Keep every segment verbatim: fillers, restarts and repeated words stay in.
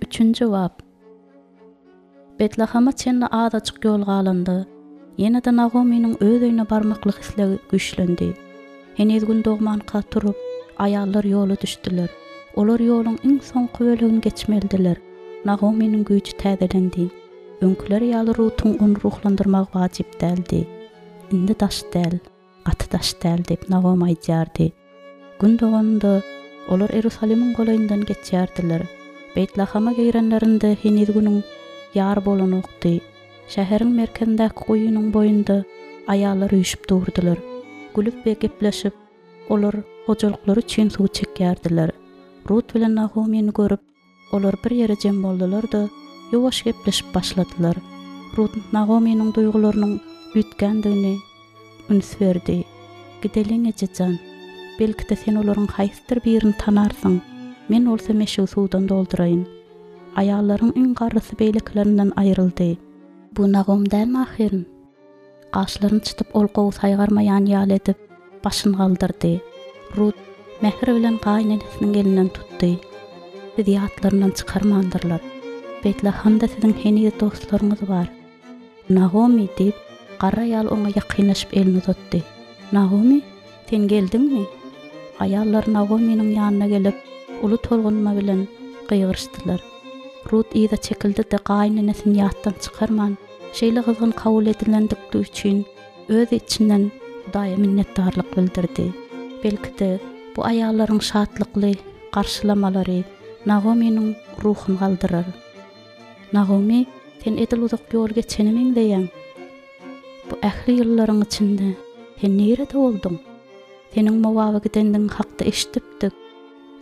Üçünji bap. Betlahama çenli azajyk ýol galanda, ýene-de Nagomynyň öz öýüne barmaklyk islegi güýçlendi. Heniz gün dogmanka turup, aýallar ýola düşdüler. Olar ýoluň iň soňky bölegini geçmelidiler. Nagomynyň güýji täzelendi. Öňküleri ýaly Rutuň ony ruhlandyrmagy wajyp däldi. Indi daş däl. Gaty daş däl diýip, Nagomy aýdýardy. Gün doganynda, olar Iýerusalimiň golaýyndan geçýärdiler. Beýtlahama girenlerinde heniz günüň ýary bolanokdy. Şäheriň merkezindäki guýynyň boýunda aýallar üýşüp durdular. Gülüp we gepleşip, olar hojalyklary üçin suw çekýärdiler. Rut bilen Nagomyny görüp, Olar bir ýere jem boldular-da, ýuwaş gepleşip başladylar. Rut Nagomynyň duýgularynyň üýtgändigini üns berdi. Gideliň, eje jan. Belki-de, sen olaryň haýsydyr birini tanarsyň. Men bolsa meşigi suwdan dolduraýyn. Aýallaryň iň garrysy beýlekilerinden aýryldy. Bu Nagom dälmi ahyryn? Gaşlaryny çytyp ol gowy saýgarmaýan ýaly edip, başyny galdyrdy. Rut mähir bilen gaýynenesiniň elinden tutdy. Sizi ýatlaryndan çykarmandyrlar. Beýtlahamda siziň heniz dostlaryňyz bar. Nagomy, diýip, garry aýal oňa ýakynlaşyp elini uzatdy. Nagomy, sen geldiňmi? Aýallar Nagomynyň ýanyna gelip, uly tolgunma bilen gygyryşdylar. Rut yza çekildi-de, gaýynenesini ýatdan çykarman, Şeýle gyzgyn kabul edilendikli üçin öz içinden Hudaýa minnetdarlyk bildirdi. Belki-de, bu aýallaryň şatlykly garşylamalary Nagomynyň ruhuny galdyrar. Nagomy, sen edil uzak ýol geçene meňzeýäň. Bu ähli ýyllaryň içinde sen nirede bolduň? Seniň Mowaba gidendigiň hakda eşidipdik.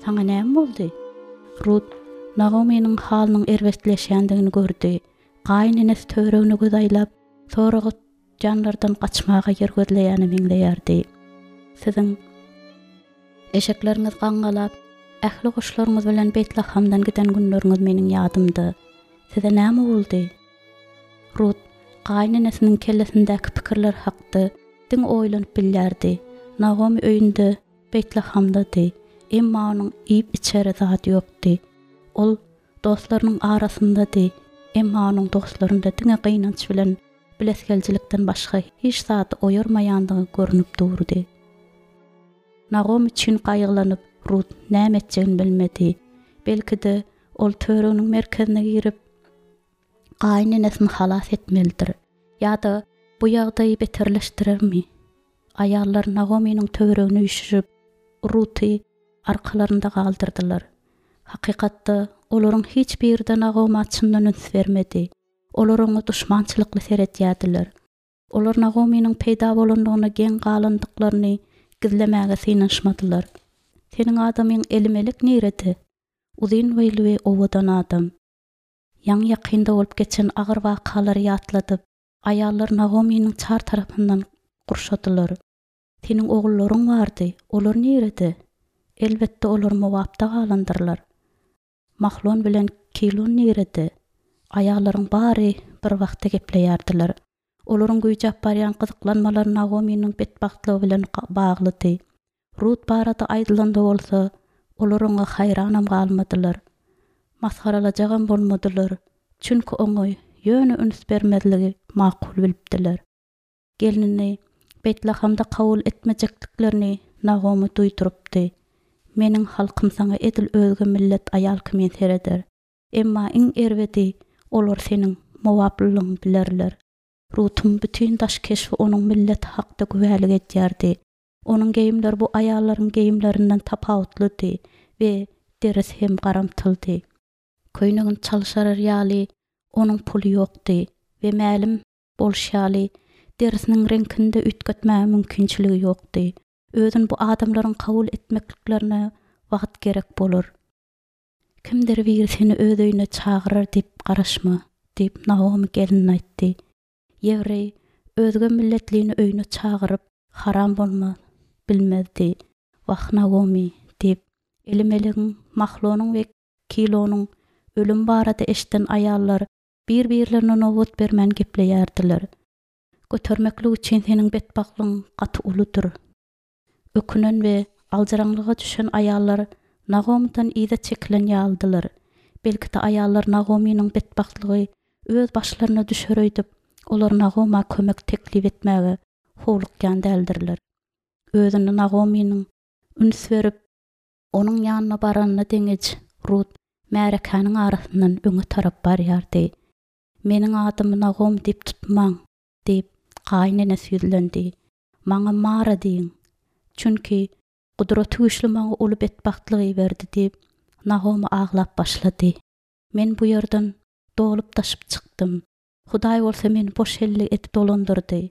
Saňa näme boldy? Rut Nagomynyň halynyň erbetleşýändigini gördi. Gaýynenesi töweregine göz aýlap, soraga tutýanlardan gaçmaga ýer gözleýäne meňzeýärdi. Siziň eşekleriňiz gaňňalap, ähli goşlaryňyz bilen Beýtlahamdan giden günleriňiz meniň ýadymda. Size näme boldy? Rut gaýynenesiniň kellesindäki pikirler hakda diňe oýlanyp bilýärdi. Nagomy öýünde Beýtlahamdady, emma onuň iýip-içere zady ýokdy. Ol Dostlarynyň arasyndady, emma onuň dostlarynda diňe gynanç bilen bilesigeljilikden başga hiç zady oýarmaýandygy görnüp durdy. Nagomy üçin gaýgylanyp, Rut näme etjegini bilmedi. Belki-de, ol töwereginiň merkezine girip, gaýynenesini halas etmelidir. Ýa-da bu ýagdaýy beterleşdirermi? Aýallar Nagomynyň töweregine üýşüşip, Ruty arkalarynda galdyrdylar. Hakykatda, olaryň hiç biri-de Nagoma çyndan üns bermedi. Olar oňa duşmançylykly seredýärdiler. Olar Nagomynyň peýda bolandygyna geň galandyklaryny gizlemäge synanyşmadylar. Seniň adamyň Elimelek nirede? Uzyn boýly we owadan adam. Ýaňy-ýakynda bolup geçen agyr wakalary ýatladyp, aýallar Nagomynyň çar tarapyndan gurşadylar. Seniň ogullaryň bardy, olar nirede? Elbetde, olar Mowapda galandyrlar. Mahlon bilen Kilon nirede? Aýallaryň bary bir wagtda gepleýärdiler. Olaryň güýjäp barýan gyzyklanmalary Nagomynyň betbagtlygy bilen baglydy. Rut barada aýdylanda bolsa, olar oňa haýranam galmadylar. Masgaralajagam bolmadylar, çünki oňa ýöne üns bermezligi makul bilipdiler. Gelnini Beýtlahamda kabul etmejekdiklerini Nagomy duýdurypdy. Meniň halkym saňa edil özge millet aýal kimin sereder. Emma iň erbedi, olar seniň mowaplylygyňy bilerler. Rutuň bütin daş keşbi onuň milleti hakda güwälik edýärdi. Onuň geýimleri bu aýallaryň geýimlerinden tapawutlydy we derisi hem garamtyldy. Köýnegini çalşyrar ýaly onuň puly ýokdy we mälim bolşy ýaly, derisiniň reňkini-de üýtgetmäge mümkinçiligi ýokdy. Özüni bu adamlaryň kabul etmekliklerine wagt gerek bolar. Kimdir biri seni öz öýüne çagyrar diýip garaşma, diýip, Naomi gelnine aýtdy. Ýewreý özge milletlini öýüne çagyryp, haram bolmaz, bilmezdi. Wah, Naomi, diýip, Elimelegiň, Mahlonyň we Kilonyň ölümi barada eşiden aýallar bir-birlerine nobat bermän gepleýärdiler. Götermeklik üçin seniň betbagtlygyň gaty uludyr. Ökünen we aljyraňlyga düşen aýallar Nagomydan yza çekilen ýalydylar. Belki-de aýallar Nagomynyň betbagtlygy öz başlaryna düşer öýdüp, olar Nagoma kömek teklip etmäge howlukýan däldirler. Özüni Nagomynyň üns berip, onuň ýanyna baranyna deňeç Rut märekäniň arasyndan öňe tarap barýardy. Meniň adymy Nagom diýip tutmaň, diýip, gaýynenesi ýüzlendi. Maňa Mara diýiň. Çünki Gudratygüýçli maňa uly betbagtlyk iberdi diýip, Nagomy aglap başlady. Men bu ýerden dolup-daşyp çykdym. Hudaý bolsa meni boş elli edip dolandyrdy.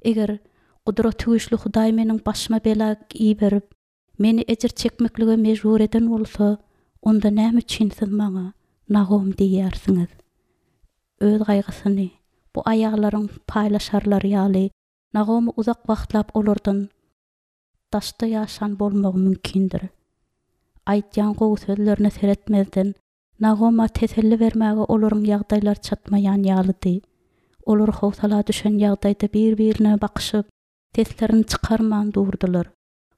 Eger Gudratygüýçli Hudaý meniň başyma bela iberip, meni ejir çekmeklige mejbur eden bolsa, onda näme üçin siz maňa Nagom diýýärsiňiz? Öz gaýgysyny bu aýallaryň paýlaşarlary ýaly, Nagomy uzak wagtlap olardan daşda ýaşan bolmagy mümkindir. Aýdýan gowy sözlerine seretmezden, Nagoma teselli bermäge olaryň ýagdaýlary çatmaýan ýalydy. Olar howsala düşen ýagdaýda bir-birine bakyşyp, seslerini çykarman durdular.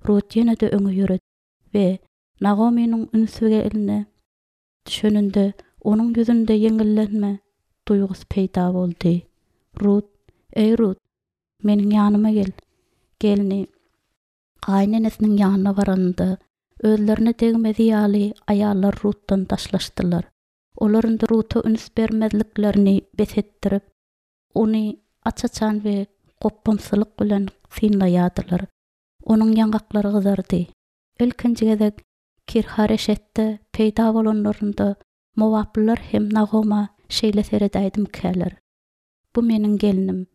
Rut ýene-de öňe ýöredi we Nagomynyň ünsi eline düşeninde onuň ýüzünde ýeňillenme duýgusy peýda boldy. Rut, eý Rut, meniň ýanyma gel. Gelni gaýynenesiniň ýanyna baranynda, özlerine degmezi ýaly aýallar Rutdan daşlaşdylar. Olar indi Ruta üns bermezliklerini bes etdirip, ony aç-açan we gopbamsylyk bilen synlaýardylar. Onuň ýaňaklary gyzardy. Ilkinji gezek Kirhareşetde peýda bolanlarynda Mowaplylar hem Nagoma şeýle seredäýdimkäler. Bu meniň gelnim,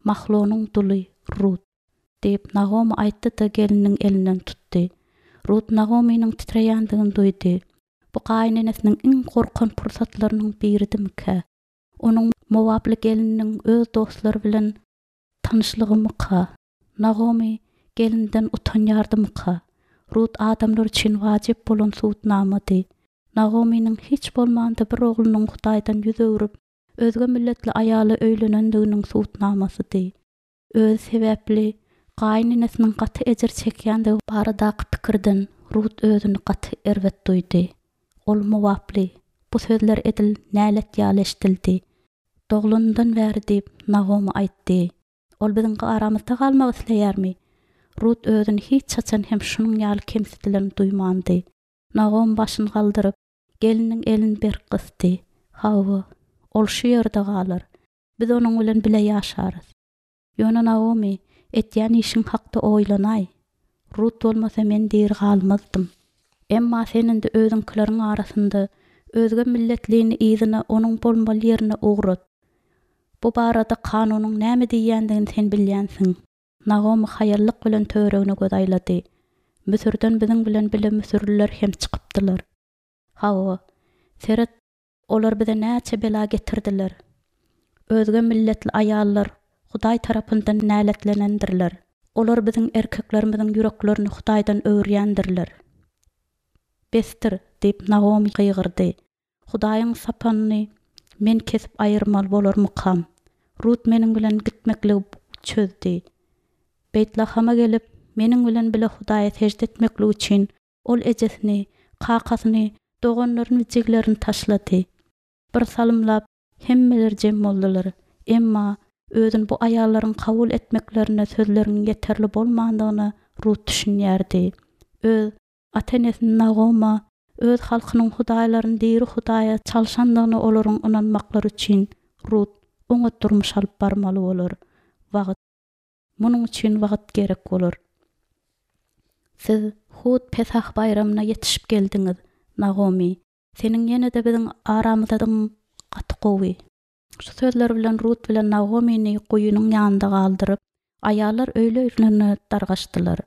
Mahlonyň duly Rut, diýip Nagomy aýtdy-da gelniniň elinden tutdy. Rut Nagomynyň titreýändigini duýdy. Bu gaýynenesiniň iň gorkan pursatlarynyň biridimikä? Onuň Mowaply gelniniň öz dostlary bilen tanyşlygymyka? Nagomy gelinden utanýardymyka? Rut adamlar üçin wajyp bolan subutnamady. Nagomynyň hiç bolmanda bir oglunyň Hudaýdan ýüz öwrüp, özge milletli aýala öýlenendiginiň subutnamasydy. Özi sebäpli gaýynenesiniň gaty ejir çekýändigi baradaky pikirden Rut özüni gaty erbet duýdy. Ol Mowaply, bu sözler edil nälet ýaly eşidildi. Doglanyndan bäri diýip Nagomy aýtdy. Ol biziň aramyzda galmak isleýärmi? Rut özüni hiç haçan hem şunuň ýaly kemsidilen duýmandy. Nagom başyny galdyryp, geliniň elini berk gysdy. Hawa, ol şu ýerde galar. Biz onuň bilen bile ýaşarys. Ýöne Naomi, etýän işiň hakda oýlanaý. Rut bolmasa men diri galmazdym. Emma sen indi özüňkileriň arasynda özge milletlini yzyna onuň bolmaly ýerine ugrat. Bu barada kanunyň näme diýýändigini sen bilýänsiň. Naomi haýallyk bilen töweregine göz aýlady. Müsürden biziň bilen bile müsürliler hem çykypdylar. Hawa, seret, olar bize näçe bela getirdiler. Özge milletli aýallar Hudaý tarapyndan näletlenendirler. Olar biziň erkeklerimiziň ýüreklerini Hudaýdan öwürýändirler. Besdir, diýip Naomi gygyrdy. Hudaýyň sapanyny men kesip aýyrmaly bolarmykam? Rut meniň bilen gitmekligi çözdü. Beytlahama gelip, meniň bilen bile Hudaýa secde etmeklik üçin ol ejesini, kakasyny, doganlaryny, jiglerini taşlady. Bir salymlap hemmeler jem boldular. Emma özün bu aýallaryň kabul etmeklerine sözleriň ýeterli bolmandygyna Rut düşünýärdi. Öz ata-enesini Nagoma, öz halkynyň hudaýlaryny diri Hudaýa çalşandygyna olaryň ynanmaklary üçin Rut oňat durmuş alyp barmaly bolar. Wagt Munuň üçin wagt gerek bolar. Siz hut Pesah baýramyna ýetişip geldiňiz, Nagomi. Seniň ýene-de biziň aramyzdadygyň gaty gowy. Şu sözler bilen Rut bilen Nagomini guýunyň ýanynda galdyryp, aýallar öýlerine dargaşdylar.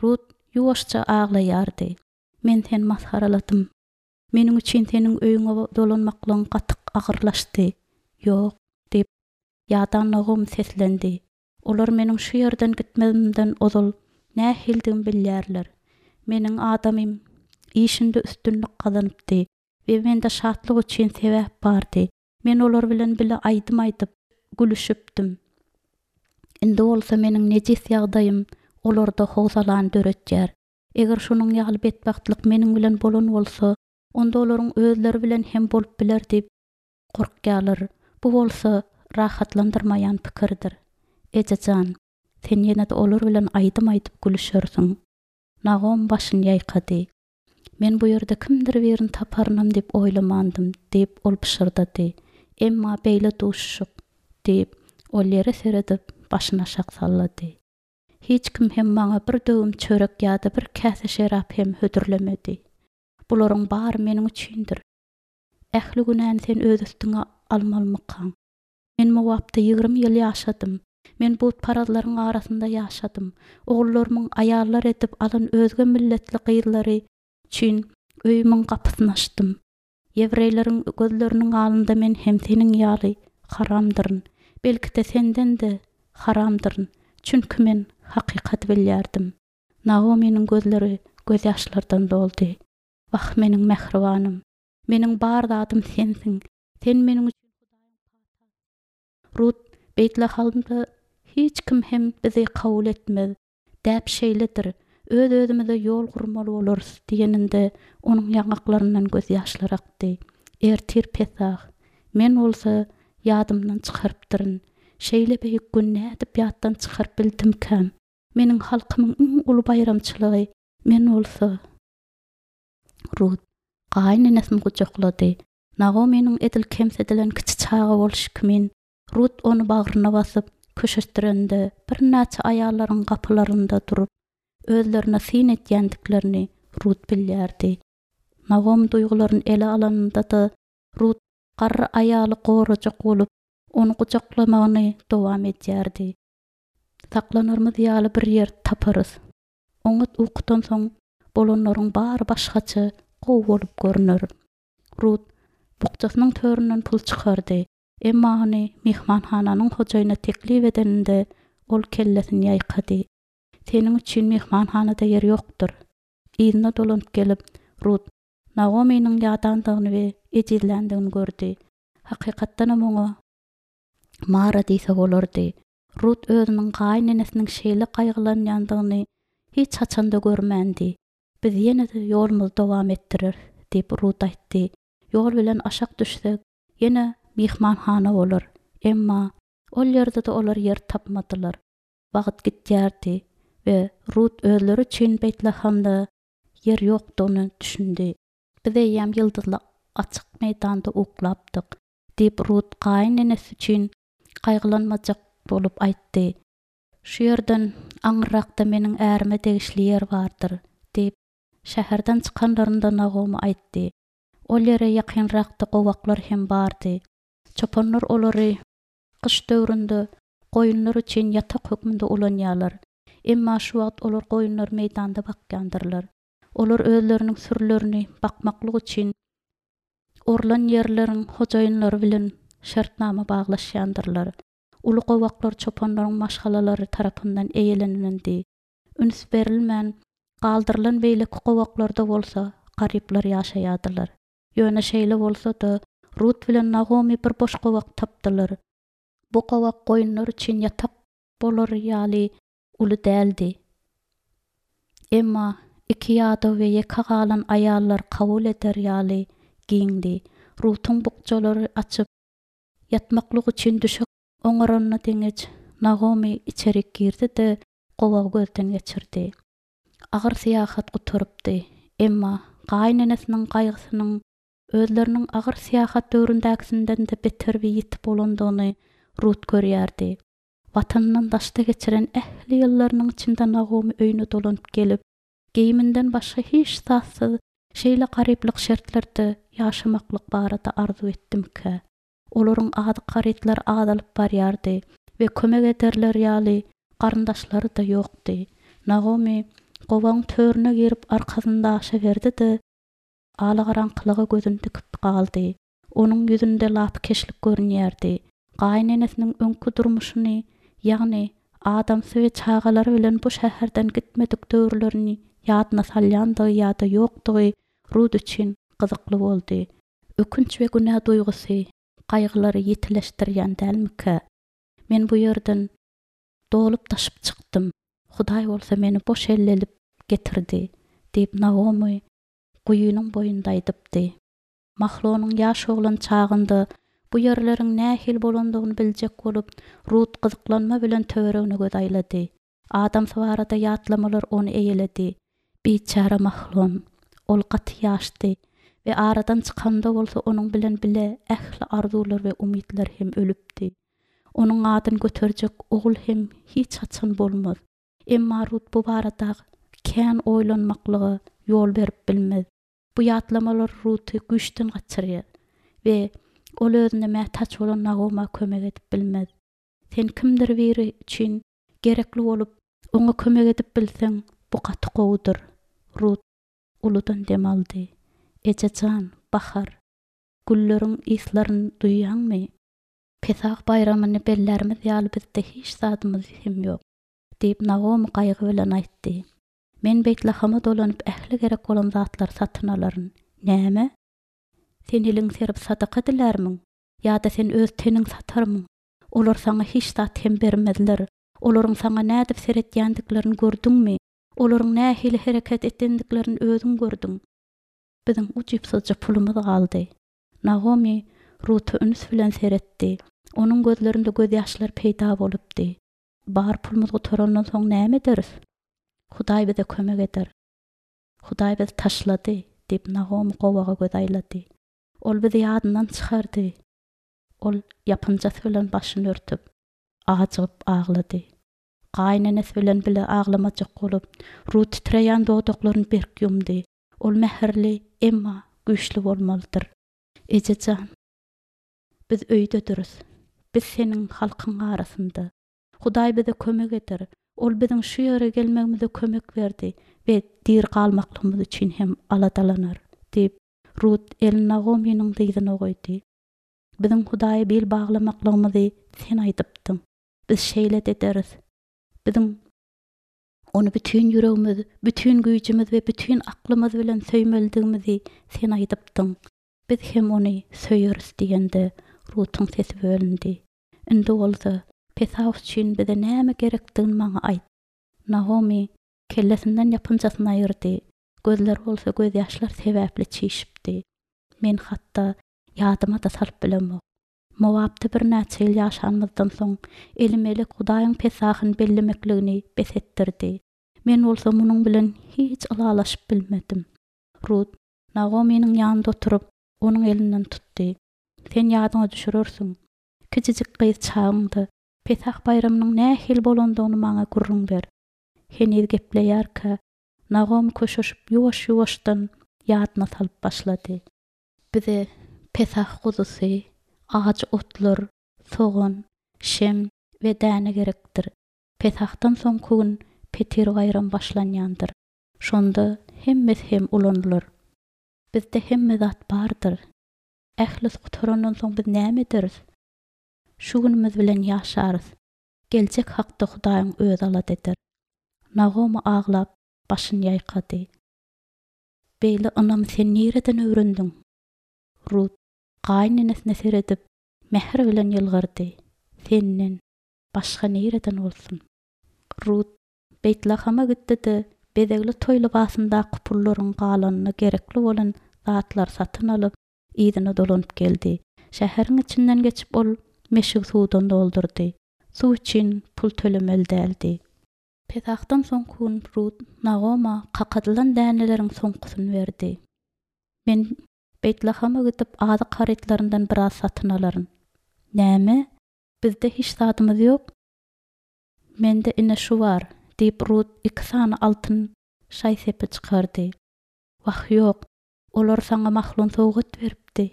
Rut ýuwaşja aglaýardy. Men seni masgaraladym. Meniň üçin seniň öýüňe dolanmaklygyň gaty agyrlaşdy. Ýok, diýip, ýadan Nagomi seslendi. Olar meniň şu ýerden gitmemden ozal nähildigimi bilýärler. Meniň adamym işinde üstünlik gazanypdy we mende şatlyk üçin sebäp bardy. Men olar bilen bile aýdym aýdyp, gülüşipdim. Indi bolsa meniň nejis ýagdaýym olarda howsalany döretýär. Eger şunuň ýaly betbagtlyk meniň bilen bolan bolsa, onda olaryň özleri bilen hem bolup biler diýip gorkýarlar. Bu bolsa rahatlandyrmaýan pikirdir. Eje jan, sen ýene-de olar bilen aýdym aýdyp gülüşersiň. Nagomy başyny ýaýkady. Men bu ýerde kimdir birini taparynam diýip oýlamandym, diýip, ol pyşyrdady. Emma beýle duşuşyk, diýip, ol ýere seredip, başyny aşak sallady. Hiç kim hem maňa bir döwüm çörek ýa-da bir käse şerap hem hödürlemedi. Bularyň bary meniň üçindir. Ähli günäni sen öz üstüňe almalymykaň? Men Mowapda ýigrimi ýyl ýaşadym. Men butparazlaryň arasynda ýaşadym. Ogullarymyň aýallar edip alan özge milletli gyzlary üçin öýümiň gapysyny açdym. Ýewreýleriň gözleriniň alnynda men hem seniň ýaly haramdyryn. Belki-de, senden-de haramdyryn. Çünki men hakykaty bilýärdim. Naominiň gözleri gözýaşlardan doldy. Wah, meniň mähribanym! Meniň bar zadym sensiň. Sen meniň üçin Hudaýyň patasysyň. Rut, Beýtlahamda hiç kim hem bizi kabul etmez. Däp şeýledir, öz-özümize ýol gurmaly bolarys diýeninde, onuň ýaňaklaryndan gözýaşlar akdy. Ertir Pesah. Men bolsa ýadymdan çykarypdyryn. Şeýle beýik gün nädip ýatdan çykaryp bildimkäm? Meniň halkymyň iň uly baýramçylygy, men bolsa. Rut gaýynenesini gujaklady. Nagomynyň edil kemsidilen kiçi çaga bolşy kimin, Rut ony bagryna basyp, köşeşdirende, birnäçe aýallaryň gapylarynda durup, özlerine syn edýändiklerini Rut bilýärdi. Nagomy duýgularyny ele alanynda-da, Rut garry aýaly gorajak bolup, ony gujaklamagyny dowam edýärdi. Saklanarymyz ýaly bir ýer taparys. Oňat ukudan soň bolanlaryň bary başgaça gowy bolup görner. Rut bukjasynyň töründen pul çykardy. Emma ony myhmanhananyň hojaýynyna teklip edeninde, ol kellesini ýaýkady. Seniň üçin myhmanhanada ýer ýokdur. Yzyna dolanyp gelip, Rut Naominiň ýadandygyny we ejizländigini gördi. Hakykatdanam oňa Mara diýse bolardy. Rut özüniň gaýynenesiniň şeýle gaýgylanýandygyny hiç haçan-da görmändi. Biz ýene-de ýolumyzy dowam etdireris, diýip, Rut aýtdy. Ýol bilen aşak düşsek, ýene myhmanhana bolar. Emma ol ýerde-de olar ýer tapmadylar. Wagt gitýärdi we Rut özleri üçin Beýtlahamda ýer ýokdugyna düşündi. Biz eýýäm ýyldyzly açyk meýdanda uklapdyk, diýip, Rut gaýynenesi üçin gaýgylanmajak bolup aýtdy. Şu ýerden aňyrrakda meniň ärime degişli ýer bardyr, diýip, şäherden çykanlarynda Nagomy aýtdy. Ol ýere ýakynrakda gowaklar hem bardy. Çopanlar olary gyş döwründe goýunlar üçin ýatak hökmünde ulanýarlar. Emma şu wagt olar goýunlary meýdanda bakýandyrlar. Olar özleriniň sürülerini bakmaklyk üçin orlan ýerleriň hojaýynlary bilen şertnama baglaşýandyrlar. Uly gowaklar çopanlaryň maşgalalary tarapyndan eýelenilendi. Üns berilmän galdyrylan beýleki gowaklarda bolsa garyplar ýaşaýardylar. Ýöne şeýle bolsa-da, Rut bilen Nagomy bir boş gowak tapdylar. Bu gowak goýunlar üçin ýatak bolar ýaly uly däldi. Emma iki ýadaw we ýeke galan aýallar kabul eder ýaly giňdi. Rutuň bukjalary açyp, ýatmaklyk üçin düşek oňaranyna deňeç, Nagomy içerik girdi-de, gowagy gözden geçirdi. Agyr syýahat gutarypdy. Emma gaýynenesiniň gaýgysynyň özleriniň agyr syýahat döwründäkisinden-de beter we ýiti bolandygyny Rut görýärdi. Watanyndan daşda geçiren ähli ýyllarynyň içinde Nagomy öýüne dolanyp gelip, geýiminden başga hiç zatsyz şeýle garyplyk şertlerde ýaşamaklyk barada arzuw etdimikä? Olaryň azyk-harytlary azalyp barýardy we kömek ederleri ýaly garyndaşlary-da ýokdy. Nagomy gowagyň törüne girip arkasyny daşa berdi-de, alagaraňkylyga gözüni dikip galdy. Onuň ýüzünde lapykeçlik görünýärdi. Gaýynenesiniň öňki durmuşyny, ýagny adamsy we çagalary bilen bu şäherden gitmedik döwürlerini ýadyna salýandygy ýa-da ýokdugy Rut üçin gyzykly boldy. Ökünç we günä duýgusy gaýgylary ýitileşdirýän dälmikä? Men bu ýerden dolup-daşyp çykdym, Hudaý bolsa meni boş elli edip getirdi, diýip, Nagomy guýynyň boýunda aýdypdy. Mahlonyň ýaş oglan çagynda bu ýerleriň nähili bolandygyny biljek bolup, Rut gyzyklanma bilen töweregine göz aýlady. Adamsy barada ýatlamalar ony eýeledi. Biçäre Mahlon. Ol gaty ýaşdy we aradan çykanda bolsa onuň bilen bile ähli arzuwlar we umytlar hem ölüpdi. Onuň adyny göterjek ogul hem hiç haçan bolmaz. Emma Rut bu barada kän oýlanmaklyga ýol berip bilmez. Bu ýatlamalar Ruty güýçden gaçyrýar we ol özüne mätäç bolan Nagoma kömek edip bilmez. Sen kimdir biri üçin gerekli bolup, oňa kömek edip bilseň, bu gaty gowudyr. Rut uludan dem aldy. Eje jan, bahar. Gülleriň yslaryny duýýaňmy? Pesah baýramyny bellärimiz ýaly bizde hiç zadymyz hem ýok, diýip Nagomy gaýgy bilen aýtdy. Men Beýtlahama dolanyp ähli gerek bolan zatlary satyn alaryn. Näme? Sen eliň serip sadaka dilärmiň? Ýa-da sen öz teniň satarmyň? Olar saňa hiç zat hem bermezler. Olaryň saňa nädip seretýändiklerini gördüňmi? Olaryň nähili hereket etendiklerini özüň gördüň. Biziň ujypsyzja pulumyz galdy. Nagomy Ruta üns bilen seretdi. Onuň gözlerinde gözýaşlar peýda bolupdy. Bar pulumyz gutarandan soň näme ederis? Hudaý bize kömek eder. Hudaý bizi taşlady, diýip Nagomy gowaga göz aýlady. Ol bizi ýadyndan çykardy. Ol ýapynjasy bilen başyny örtüp, ajygyp aglady. Gaýynenesi bilen bile aglamajak bolup, Rut titreýän dodaklaryny berk ýumdy. Ol mähirli, emma güýçli bolmalydyr. Eje jan, biz öýdediris. Biz seniň halkyň arasynda. Hudaý bize kömek eder. Ol biziň şu ýere gelmegimize kömek berdi we diri galmaklygymyz üçin hem aladalanar, diýip, Rut elini Nagomynyň dyzyna goýdy. Biziň Hudaýa bil baglamaklygymyzy sen aýdypdyň. Biz şeýle ederis. Biziň ony bütin ýüregimiz, bütin güýjümiz we bütin aklymyz bilen söýmelidigimizi sen aýdypdyň. Biz hem ony söýeris diýende Rutuň sesi bölündi. Indi bolsa Pesah üçin bize näme gerekdigini maňa aýt. Nagomy kellesinden ýapynjasyny aýyrdy. Gözleri bolsa gözýaşlar sebäpli çişipdi. Men hatda ýadyma da salyp bilemok. Moabda birnäçe ýyl ýaşanymyzdan soň Elimelek Hudaýyň Pesahyny bellemekligini bes etdirdi. Men bolsa munuň bilen hiç ylalaşyp bilmedim. Rut Nagomynyň ýanynda oturyp, onuň elinden tutdy. Sen ýadyňa düşürersiň. Kiçijik gyz çagyňda Pesah baýramynyň nähili bolandygyny maňa gürrüň ber. Heniz gepleýärkä, Nagomy köşeşip ýuwaş-ýuwaşdan ýadyna salyp başlady. Bize Pesah guzusy, ajy otlar, sogan, şem we däne gerekdir. Pesahdan soňky gün Petir baýram başlanýandyr. Şonda hemmesi hem ulanylar. Bizde hemme zat bardyr. Ählisi gutarandan soň biz näme ederis? Şu günümiz bilen ýaşarys. Geljek hakda Hudaýyň özi alada eder. Nagomy aglap başyny ýaýkady. Beýle ynamy sen nireden öwrendiň? Rut gaýynenesine seredip, mähir bilen ýylgyrdy. Senden başga nireden bolsun? Rut Beýtlahama gitdi-de, bezegli toý lybasyndaky pullaryň galanyna gerekli bolan zatlary satyn alyp, yzyna dolanyp geldi. Şäheriň içinden geçip ol meşigi suwdan doldurdy. Suw üçin pul tölemeli däldi. Pesahdan soňky gün Rut Nagoma kakadylan däneleriň soňkusyny berdi. Men Beýtlahama gidip azyk harytlaryndan biraz satyn alaryn. Näme? Bizde hiç zadymyz ýok. Mende ine şu bar, diýip Rut iki sany altyn şaý-sepi çykardy. Wah ýok, olar saňa Mahlon sowgat beripdi.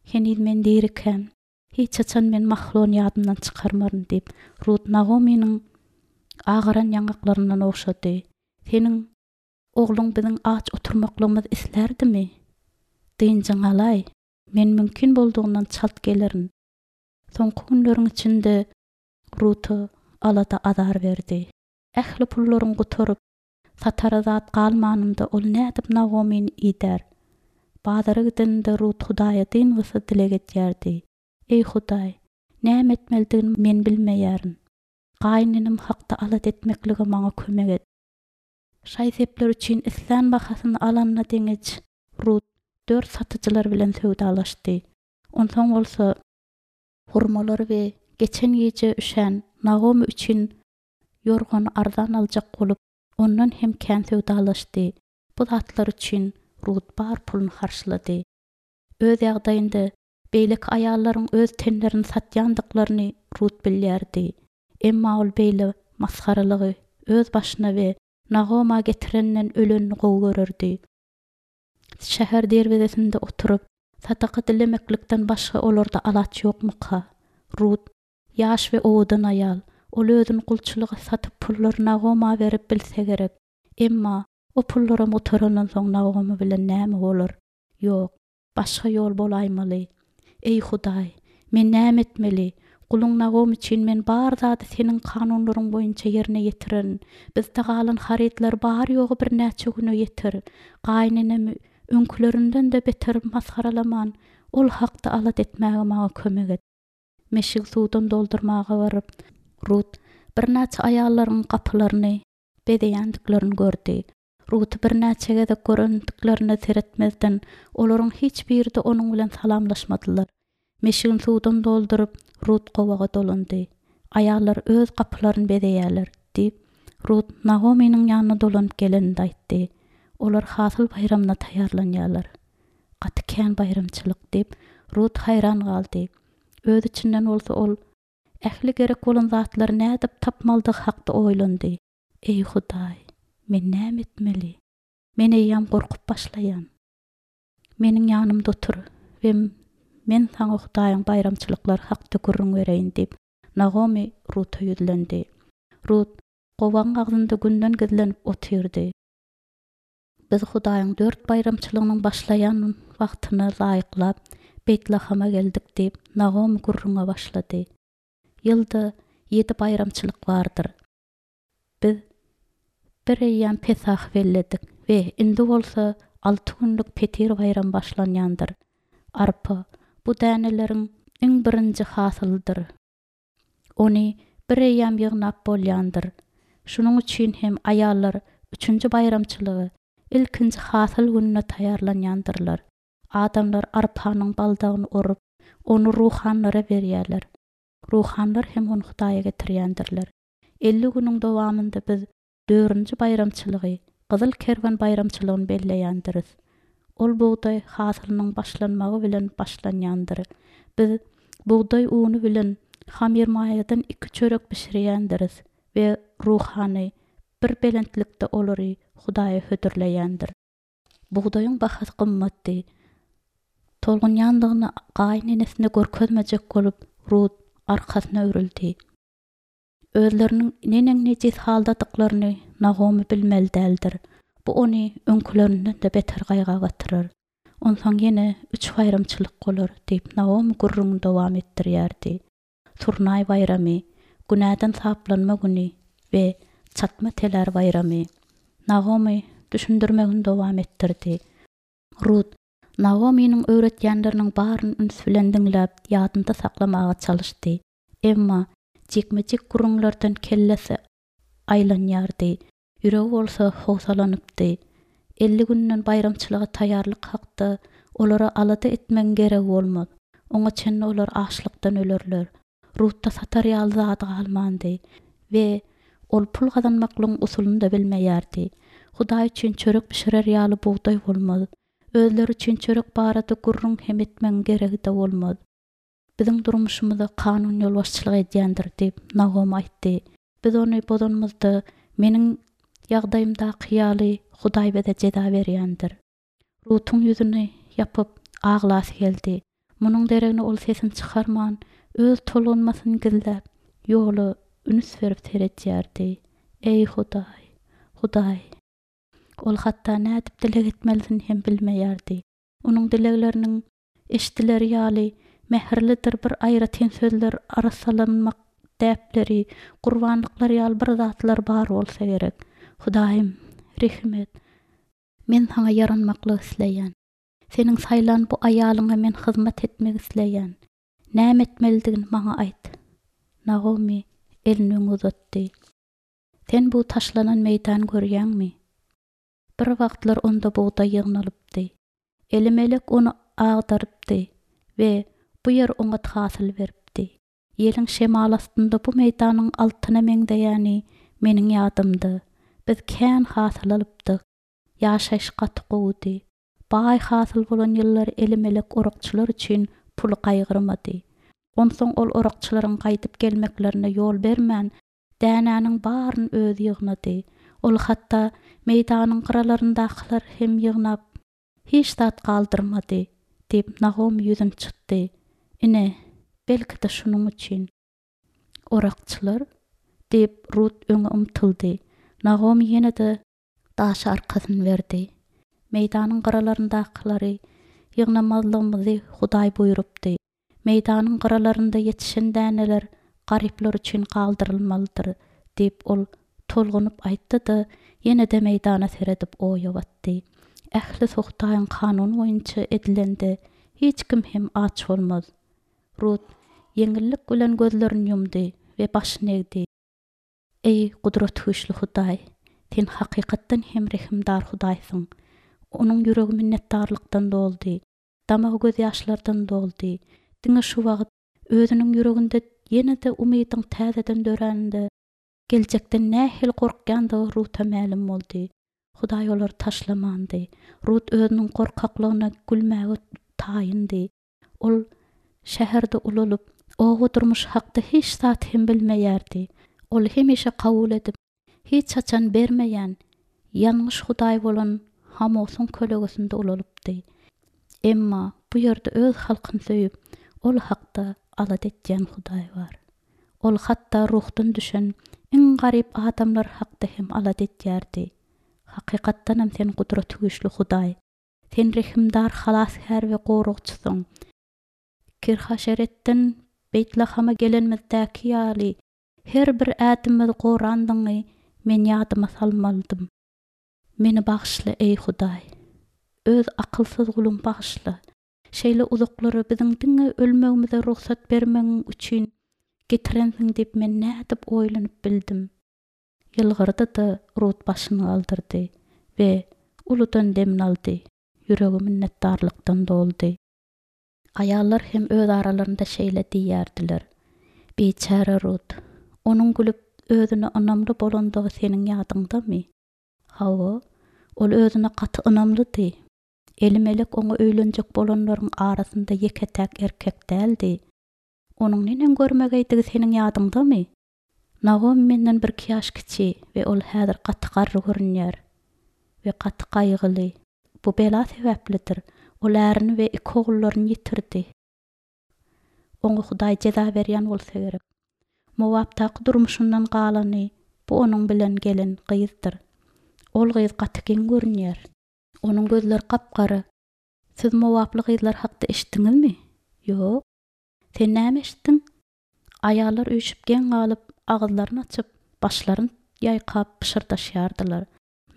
Heniz men dirikäm, hiç haçan men Mahlon ýadymdan çykarmaryn diýip, Rut Nagomynyň agaran ýaňaklaryndan ogşady. Seniň ogluň biziň aç oturmaklygymyzy islärdimi? Dynjyň alaý, men mümkin boldugyndan çalt gelerin. Soňky günleriň içinde Ruta alada azar berdi. Ähli pullaryň gutaryp, satara zat galmanynda ol nädip Nagomyny idär? Bazara gidende Rut Hudaýa dyngysyz dileg edýärdi. Eý Hudaý, näme etmelidigini men bilmeýärin. Gaýynenem hakda alada etmeklige maňa kömek et. Şaý-sepler üçin islän bahasyny alanyna deňeç Rut dört satyjylar bilen söwdalaşdy. Onsoň bolsa hurmalary we geçen gije üşän Nagomy üçin ýorgany arzan aljak bolup, ondan hem kän söwdalaşdy. Bu zatlar üçin Rut bar puluny harçlady. Öz ýagdaýynda beýleki aýallaryň öz tenlerini satýandyklaryny Rut bilýärdi. Emma ol beýle masgaralygy öz başyna we Nagoma getirenden ölenini gowy görerdi. Şäher derwezesinde oturyp, sadaka dilemeklikden başga olarda alaç ýokmuka? Rut, ýaş we owadan aýal, ol özüni gulçulyga satyp pullary Nagoma berip bilse gerek. Emma o pullaram gutarandan soň Nagoma bilen näme bolar? Ýok, başga ýol bolaýmaly. Eý Hudaý, men näme etmeli? Guluň Nagom üçin men bar zady seniň kanunlaryň boýunça ýerine ýetirerin. Bizde galan harytlar bar ýogy birnäçe güne ýeter. Gaýynenemi öňkülerinden-de beter masgaralaman, ol hakda alada etmäge maňa kömek et. Meşigi suwdan doldurmaga baryp, Rut birnäçe aýallaryň gapylaryny bezeýändiklerini gördi. Ruty birnäçe gezek görendiklerine seretmezden, olaryň hiç biri-de onuň bilen salamlaşmadylar. Meşigini suwdan dolduryp, Rut gowaga dolandy. Aýallar öz gapylaryny bezeýärler, diýip, Rut Nagomynyň ýanyna dolanyp geleninde aýtdy. Olar hasyl baýramyna taýýarlanýarlar. Gaty kän baýramçylyk, diýip, Rut haýran galdy. Öz içinden bolsa ol ähli gerek bolan zatlary nädip tapmalydygy hakda oýlandy. Eý Hudaý, men näme etmeli? Men eýýäm gorkup başlaýan. Meniň ýanymda otur we men saňa Hudaýyň baýramçylyklary hakda gürrüň bereýin, diýip, Nagomy Ruta ýüzlendi. Rut gowagyň agzynda günden gizlenip otyrdy. Biz Hudaýyň dört baýramçylygynyň başlaýan wagtyna laýyklap Beýtlahama geldik, diýip, Nagomy gürrüňe başlady. Ýylda ýedi baýramçylyk bardyr. Biz bir eýýäm Pesah belledik we indi bolsa alty günlük Petir baýramy başlanýandyr. Arpa bu däneleriň iň birinji hasylydyr. Ony bir eýýäm ýygnap bolýandyr. Şunuň üçin hem aýallar üçünji baýramçylygy ilkinji hasyl gününe taýýarlanýandyrlar. Adamlar arpanyň baldagyny orup, ony ruhanlara berýärler. Ruhanlar hem ony Hudaýa getirýändirler. Elli günüň dowamynda biz dördünji baýramçylygy, Gyzyl Kerwen baýramçylygyny belleýändiris. Ol bugdaý hasylynyň başlanmagy bilen başlanýandyr. Biz bugdaý uny bilen hamirmaýadan iki çörek bişirýändiris we ruhany bir belentlikde olary Hudaýa hödürleýändir. Bugdaýyň bahasy gymmatdy. Tolgunýandygyny gaýynenesine görkezmejek bolup, Rut arkasyna öwrüldi. Özleriniň neneň nejis haldadyklaryny Nagomy bilmeli däldir. Bu ony öňkülerinden-de beter gaýga batyrar. Onsoň ýene üç baýramçylyk bolar, diýip, Nagomy gürrüňini dowam etdirýärdi. Surnaý baýramy, günäden saplanma güni we çatma telär baýramy. Nagomy düşündirmegini dowam etdirdi. Rut Nagomynyň öwretýänleriniň baryny üns bilen diňläp, ýadynda saklamaga çalyşdy. Emma jikme-jik gürrüňlerden kellesi aýlanýardy. Ýüregi bolsa howsalanypdy. Elli günden baýramçylyga taýýarlyk hakda olara alada etmegiň geregi bolmaz. Oňa çenli olar açlykdan ölerler. Rutda satar ýaly zady galmandy we ol pul gazanmaklygyň usulyny da bilmeýärdi. Hudaý üçin çörek bişirer ýaly bugdaý bolmaz. Özleri üçin çörek barada gürrüň hem etmegiň geregi-de bolmaz. Biziň durmuşymyza kanun ýolbaşçylyk edýändir, diýip, Nagomy aýtdy. Biz ony bozanymyzda meniň ýagdaýymdaky ýaly Hudaý bize jeza berýändir. Rutuň ýüzüni ýapyp, aglasy geldi. Munuň deregine ol sesini çykarman, öz tolgunmasyny gizläp, ýola üns berip seredýärdi. Eý Hudaý, Hudaý! Ol hatda nädip dileg etmelisin hem bilmeýärdi. Onuň dilegleriniň eşdileri ýaly mähirlidir bir aýratyn sözler, arassalanmak däpleri, gurbanlyklar ýaly bir zatlar bar bolsa gerek. Hudaýym, rehim et. Men saňa ýaranmaklyk isleýän. Seniň saýlan bu aýalyňa men hyzmat etmek isleýän. Näme etmelidigini maňa aýt. Nagomy elini öňe uzatdy. Sen bu taşlanan meýdan görýäňmi? Bir wagtlar onda bugdaý ýygnalypdy. Elimelek ony agdarypdy we bu ýer oňat hasyl beripdi. Ýeliň şemaly astynda bu meýdanyň altyna meňzeýäni meniň ýadymda. Biz kän hasyl alypdyk. Ýaşaýyş gaty gowudy. Baý hasyl bolan ýyllar Elimelek orakçylar üçin puly gaýgyrmady. Onsoň ol orakçylaryň gaýdyp gelmeklerine ýol bermän, dänäniň baryny özi ýygnady. Ol hatda meýdanyň gyralaryndakylar hem ýygnap, hiç zat galdyrmady, diýip, Nagomy ýüzüni çytdy. Ine, belki-de şunuň üçin. Orakçylar? diýip, Rut öňe ymtyldy. Nagomy ýene-de daşa arkasyny berdi. Meýdanyň gyralaryndaklary ýygnamazlygymyzy Hudaý buýrupdy. Meýdanyň gyralarynda ýetişen däneler garyplar üçin galdyrylmalydyr, diýip, ol tolgunyp aýtdy-da, ýene-de meýdana seredip oýa batdy. Ählisi Hudaýyň kanuny boýunça edilende, hiç kim hem aç bolmaz. Rut ýeňillik bilen gözlerini ýumdy we başyny egdi. Eý, Gudratgüýçli Hudaý, Sen hakykatdan hem rehimdar Hudaýsyň. Onuň ýüregi minnetdarlykdan doldy, damagy gözýaşlardan doldy. Diňe şu wagt, özüniň ýüreginde ýene-de umydyň täzeden döräninde, geljekden nähili gorkýandygy Ruta mälim boldy. Hudaý olary taşlamandy. Rut özüniň gorkaklygyna gülmäge taýyndy. Ol şäherde ulalyp, oba durmuşy hakda hiç zat hem bilmeýärdi. Ol hemişe kabul edip, hiç haçan bermeýän, ýalňyş hudaý bolan Hamosyň kölegesinde ulalypdy. Emma bu ýerde öz halkyny söýüp, ol hakda alada etýän Hudaý bar. Ol hatda ruhdan düşen iň garyp adamlar hakda hem alada etýärdi. Hakykatdanam sen Gudratygüýçli Hudaý. Sen rehimdar Halasgär we Goragçysyň. Kirhaşeretden Beýtlahama gelenimizdäki ýaly, her bir ädimimizi gorandygyňy men ýadyma salmalydym. Meni bagyşla, eý, Hudaý! Öz akylsyz guluňy bagyşla. Şeýle uzaklara biziň diňe ölmegimize rugsat bermegiň üçin getirensiň diýip men nädip oýlanyp bildim? Ýylgyrdy-da, Rut başyny galdyrdy we uludan demini aldy, ýüregi minnetdarlykdan doldy. Aýallar hem öz aralarynda şeýle diýýärdiler, Biçäre Rut! Onuň gülüp, özüne ynamly bolandygy seniň ýadyňdamy? Hawa, ol özüne gaty ynamlydy. Elimelek oňa öýlenjek bolanlaryň arasynda ýeke-täk erkek däldi. Onuň neneň görmegeýdigi seniň ýadyňdamy? Nagomy menden birki ýaş kiçi we ol häzir gaty garry görünýär we gaty gaýgyly. Bu bela sebäplidir. Ol ärini we iki ogullaryny ýitirdi. Oňa Hudaý jeza berýän bolsa gerek. Mowapdaky durmuşyndan galany bu onuň bilen gelen gyzdyr. Ol gyz gaty geň görünýär. Onuň gözleri gap-gara. Siz mowaply gyzlar hakda eşitdiňizmi? Ýok. Sen näme eşitdiň? Aýallar üýşüp geň galyp, agyzlaryny açyp, başlaryny ýaýkap pyşyrdaşýardylar.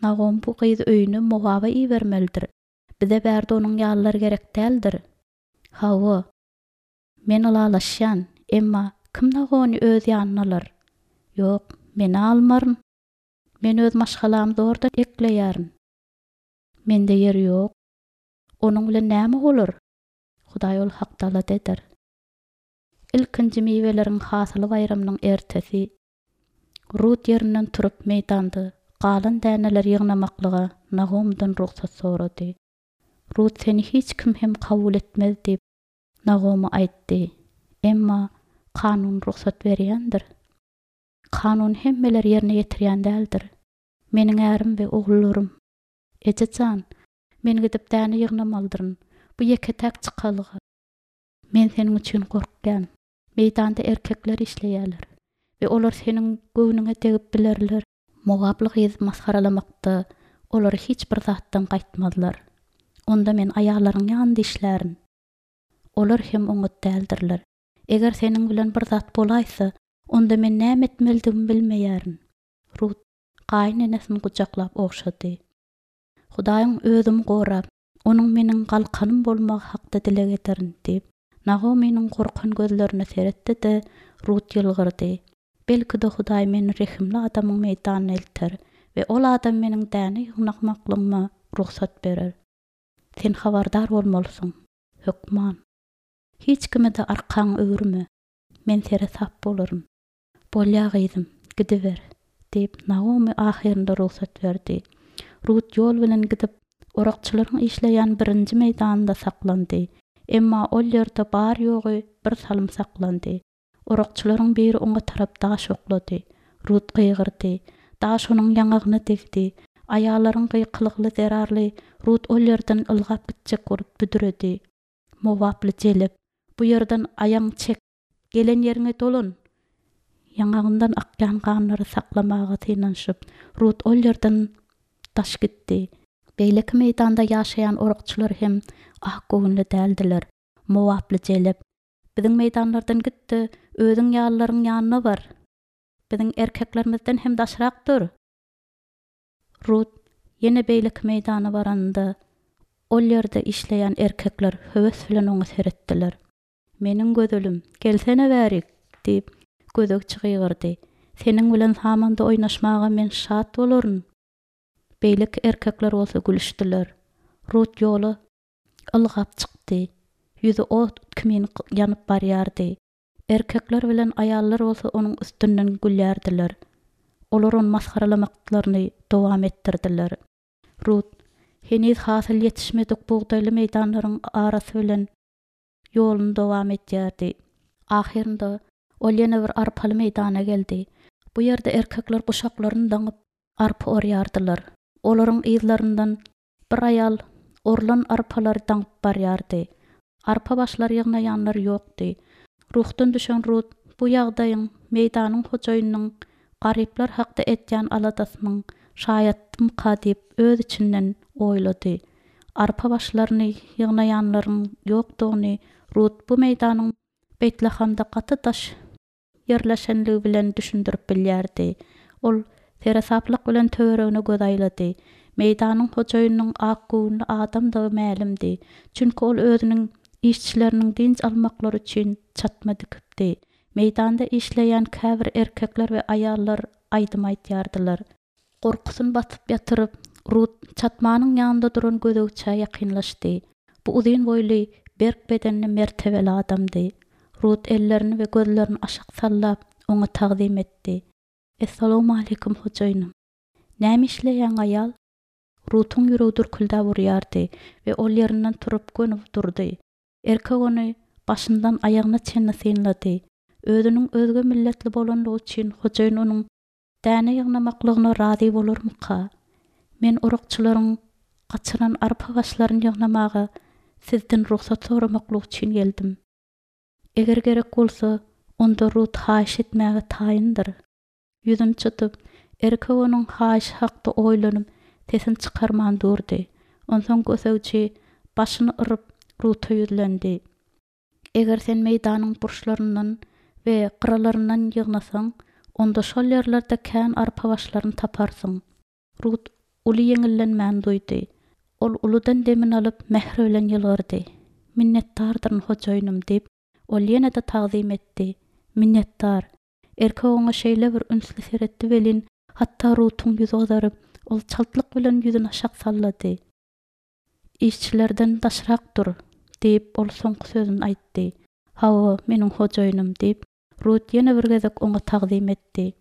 Nagom bu gyzy öýüne Mowaba ibermelidir. Bize bärde onuň ýalylar gerek däldir. Hawa, men ylalaşýan, emma kim Nagony öz ýanyna alar? Ýok, men-ä almaryn. Men öz maşgalamy zordan ekleýärin. Mende ýer ýok. Onuň bilen näme bolar? Hudaý ol hakda alada eder. Ilkinji miweleriň hasyly baýramynyň ertesi Rut ýerinden turup meýdanda galan däneleri ýygnamaklyga Nagomydan rugsat sorady. Rut seni hiç kim hem kabul etmez diýip, Nagomy aýtdy. Emma kanun rugsat berýändir. Kanuny hemmeler ýerine ýetirýän däldir. Meniň ärim we ogullarym. Eje jan, men gidip däne ýygnamalydyryn. Bu ýeke-täk çykalga. Men seniň üçin gorkýan. Meýdanda erkekler işleýärler we olar seniň göwnüňe degip bilerler. Mowaply gyzy masgaralamakda olar hiç bir zatdan gaýtmazlar. Onda men aýallaryň ýanynda işlärin. Olar hem oňat däldirler. Eger seniň bilen bir zat bolaýsa, onda men näme etmelidigimi bilmeýärin. Rut gaýynenesini gujaklap ogşady. Hudaýyň özümi gorap, Onuň meniň galkanym bolmagy hakda dileg ederin diýip, Nagomynyň gorkan gözlerine seretdi-de, Rut ýylgyrdy. Belki-de, Hudaý meni rehimli adamyň meýdanyna elter we ol adam meniň däne ýygnakmaklygyma rugsat berer. Sen habardar bolmalysyň. Hökman. Hiç kime-de arkaňy öwürme. Men seresap bolaryn. Bolýa gyzym, gidiber, diýip, Naomi ahyrynda rugsat berdi. Rut ýol bilen gidip, orakçylaryň işleýän birinji meýdanynda saklandy. Emma ol ýerde bary-ýogy bir salym saklandy. Orakçylaryň biri oňa tarap daş oklady. Rut gygyrdy. Daş onuň ýaňagyna degdi. Aýallaryň gykylygy zerarly Rut ol ýerden ylgap gitjek bolup büdredi. Mowaply jelep, Bu ýerden aýagyňy çek, gelen ýeriňe dolan! Ýaňagyndan akýan ganlary saklamaga synanyşyp, Rut ol ýerden daş gitdi. Beýleki meýdanda ýaşaýan orakçylar hem akgöwünli däldiler. Mowaply jelep, Biziň meýdanlardan git-de, özüň ýalylaryň ýanyna bar. Biziň erkeklerimizden hem daşrak dur! Rut ýene beýleki meýdana baranynda, ol ýerde işleýän erkekler höwes bilen oňa seretdiler. Meniň gözelim, gelsene bärik! diýip, gözegçi gygyrdy. Seniň bilen samanda oýnaşmaga men şat bolaryn! Beýleki erkekler bolsa gülüşdiler. Rut ýola ylgap çykdy. Ýüzi ot kimin ýanyp barýardy. Erkekler bilen aýallar bolsa onuň üstünden gülýärdiler. Olar ony masgaralamaklaryny dowam etdirdiler. Rut heniz hasyl ýetişmedik bugdaýly meýdanlaryň arasy bilen ýoluny dowam edýärdi. Ahyrynda ol ýene bir arpaly meýdana geldi. Bu ýerde erkekler guşaklaryny daňyp, arpa orýardylar. Olaryň yzlaryndan bir aýal orlan arpalary daňyp barýardy. Arpa başlary ýygnaýanlar ýokdy. Ruhdan düşen Rut bu ýagdaýyň meýdanyň hojaýynynyň garyplar hakda edýän aladasynyň şaýatymyka diýip öz içinden oýlady. Arpa başlaryny ýygnaýanlaryň ýokdugyny Rut bu meýdanyň Beýtlahamda gaty daş ýerleşenligi bilen düşündirip bilýärdi. Ol seresaplyk bilen töweregine göz aýlady. Meýdanyň hojaýynynyň akgöwünli adamdygy mälimdi. Çünki ol özüniň işçileriniň dynç almaklary üçin çatma dikipdi. Meýdanda işleýän käbir erkekler we aýallar aýdym aýdýardylar. Gorkusyny basyp ýatyryp, Rut çatmanyň ýanynda duran gözegçä ýakynlaşdy. Bu uzyn boýly, berk bedenli mertebeli adamdy. Rut ellerini we gözlerini aşak sallap, oňa tagzym etdi. Essalawmaleýkim, hojaýynym. Näme işleýäň, aýal? Rutuň ýüregi dürküldäp urýardy we ol ýerinden turup göni durdy. Erkek ony başyndan aýagyna çenli synlady. Özüniň özge milletli bolanlygy üçin hojaýyn onuň däne ýygnamaklygyna razy bolarmyka? Men orakçylaryň gaçyran arpa başlaryny ýygnamaga sizden rugsat soramaklyk üçin geldim. Eger gerek bolsa, onda Rut haýyş etmäge taýyndyr. Ýüzüni çytyp, erkek onuň haýyşy hakda oýlanyp, sesini çykarman durdy. Onsoň gözegçi başyny yryp, Ruta ýüzlendi. Eger sen meýdanyň burçlaryndan we gyralaryndan ýygnasaň, onda şol ýerlerde kän arpa başlaryny taparsyň. Rut uly ýeňillenmäni duýdy. Ol uludan demini alyp, mähir bilen ýylgyrdy. Minnetdardyryn, hojaýynym, diýip, ol ýene-de tagzym etdi. Minnetdar. Erkek oňa şeýle bir ünsli seretdi welin, hatda Rutuň ýüzi gyzaryp, ol çaltlyk bilen ýüzüni aşak sallady. Işçilerden daşrak dur, diýip, ol soňky sözüni aýtdy. Hawa, meniň hojaýynym, diýip, Rut ýene bir gezek oňa tagzym etdi.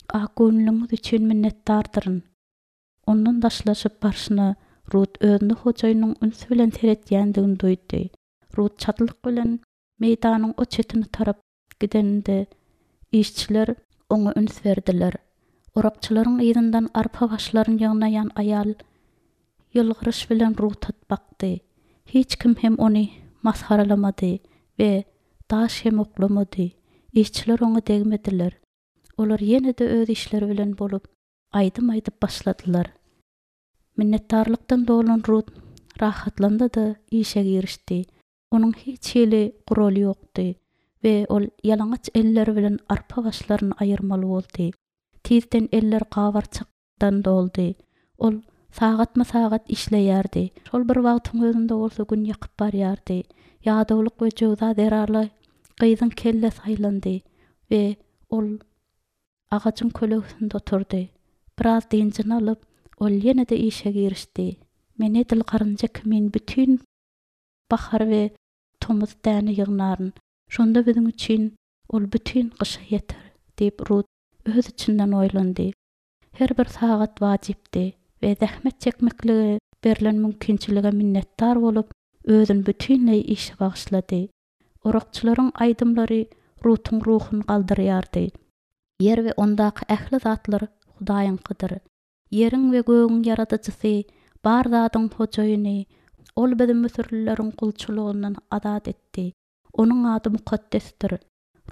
Akgöwünligiňiz üçin minnetdardyryn. Ondan daşlaşyp barşyna, Rut özüne hojaýynynyň üns bilen seretýändigini duýdy. Rut çaltlyk bilen meýdanyň o çetine tarap gideninde, işçiler oňa üns berdiler. Orakçylaryň yzyndan arpa başlaryny ýygnaýan aýal ýylgyryş bilen Ruta bakdy. Hiç kim hem ony masgaralamady we daş hem oklamady. Işçiler oňa degmediler. Olar ýene-de öz işleri bilen bolup, aýdym aýdyp başladylar. Minnetdarlykdan dolan Rut rahatlandy-da işe girişdi. Onuň hiç hili guraly ýokdy we ol ýalaňaç elleri bilen arpa başlaryny aýyrmaly boldy. Tizden eller gabarçakdan doldy. Ol sagatma-sagat işleýärdi. Şol bir wagtyň özünde bolsa gün ýakyp barýardy. Ýadawlyk we jöwza zerarly gyzyň kellesi aýlandy we ol agajyň kölegesinde oturdy. Biraz dynjyny alyp, ol ýene-de işe girişdi. Men edil garynja kimin bütin bahar we tomus däne ýygnaryn. Şonda biziň üçin ol bütin gyşa ýeter, diýip, Rut öz içinden oýlandy. Her bir sagat wajypdy we zähmet çekmeklige berlen mümkinçilige minnetdar bolup, özüni bütinleý işe bagyşlady. Orakçylaryň aýdymlary Rutuň ruhuny galdyrýardy. Ýer we ondaky ähli zatlar Hudaýyňkydyr. Ýeriň we gögüň Ýaradyjysy, bar zadyň Hojaýyny, Ol bizi müsürlileriň gulçulygyndan azat etdi. Onuň ady mukaddesdir.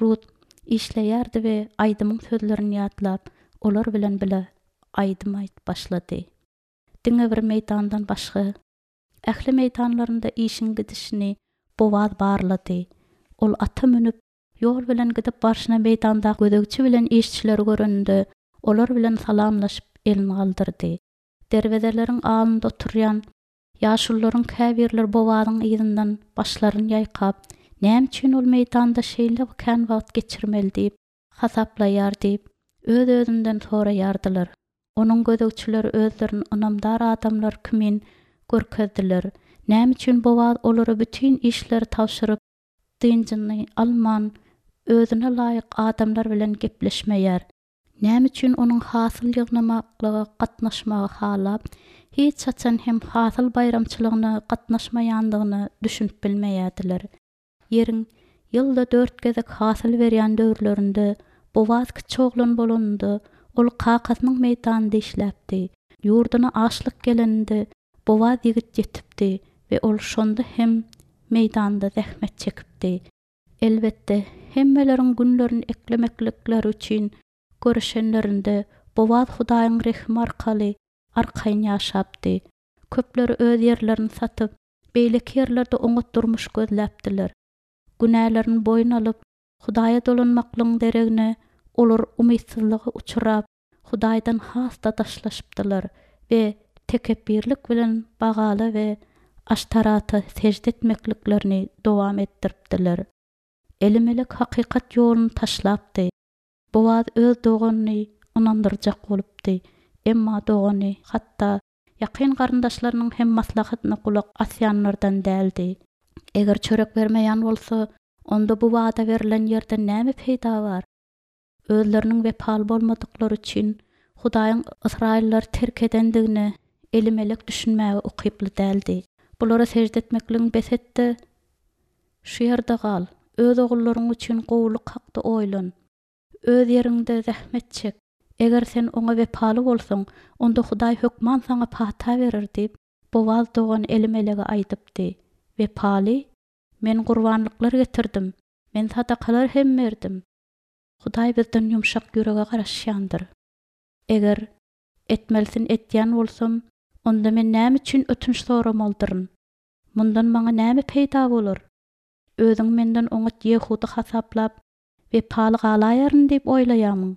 Rut işleýärdi we aýdymyň sözlerini ýatlap, olar bilen bile aýdym aýdyp başlady. Diňe bir meýdandan başga, ähli meýdanlarynda işiň gidişini Bowaz barlady. Ol ata münüp, ýol bilen gidip barşyna meýdanda gözegçi bilen işçileri göreninde, olar bilen salamlaşyp elini galdyrdy. Derwezeleriň alnynda oturýan ýaşulularyň käbirleri Bowazyň yzyndan başlaryny ýaýkap, näme üçin ol meýdanda şeýle kän wagt geçirmeli diýip hasaplaýar diýip, öz-özünden soraýardylar. Onuň gözegçileri özlerini ynamdar adamlar kimin görkezdiler. Näme üçin Bowaz olara bütin işleri tabşyryp, dynjyny alman, özüne laýyk adamlar bilen gepleşmeýär? Näme üçin onuň hasyl ýygnamaklyga gatnaşmagy halap, hiç haçan hem hasyl baýramçylygyna gatnaşmaýandygyna düşünip bilmeýärdiler? Ýeriň ýylda dört gezek hasyl berýän döwürlerinde Bowaz kiçi oglan bolanynda, ol kakasynyň meýdanynda işläpdi. Ýurduna açlyk geleninde Bowaz ýigit ýetipdi we ol şonda hem meýdanda zähmet çekipdi. Elbetde, hemmeleriň günlerini eklemeklikleri üçin görüşenlerinde Bowaz Hudaýyň rehimi arkaly arkaýyn ýaşapdy. Köpleri öz ýerlerini satyp, beýleki ýerlerde oňat durmuş gözläpdiler. Günälerini boýun alyp, Hudaýa dolanmaklygyň deregine olar umytsyzlyga uçrap, Hudaýdan has-da daşlaşypdylar we tekepbirlik bilen Bagala we Aştarata sežde etmekliklerini dowam etdiripdiler. Elimelek hakykat ýoluny taşlapdy. Bowaz öz doganyny ynandyrjak bolupdy. Emma dogany hatda ýakyn garyndaşlarynyň hem maslahatyna gulak asýanlardan däldi. Eger çörek bermeýän bolsa, onda bu wada berlen ýerden näme peýda bar? Özleriniň wepaly bolmadyklary üçin Hudaýyň Ysraýyllary terk edendigine Elimelek düşünmäge ukyply däldi. Bulara sežde etmekligiňi bes et-de, şu ýerde gal, öz ogullaryň üçin gowulyk hakda oýlan. Öz ýeriňde zähmet çek. Eger sen oňa wepaly bolsaň, onda Hudaý hökman saňa pata berer diýip, Bowaz dogany Elimelege aýdypdy. Wepaly? Men gurbanlyklar getirdim. Men sadakalar hem berdim. Hudaý bizden ýumşak ýürege garaşýandyr. Eger etmelisin etýän bolsam, onda men näme üçin ötünç soramalydyryn? Mundan maňa näme peýda bolar? Özüňi menden oňat ýehudy hasaplap, wepaly galaýaryn diýip oýlaýarmyň?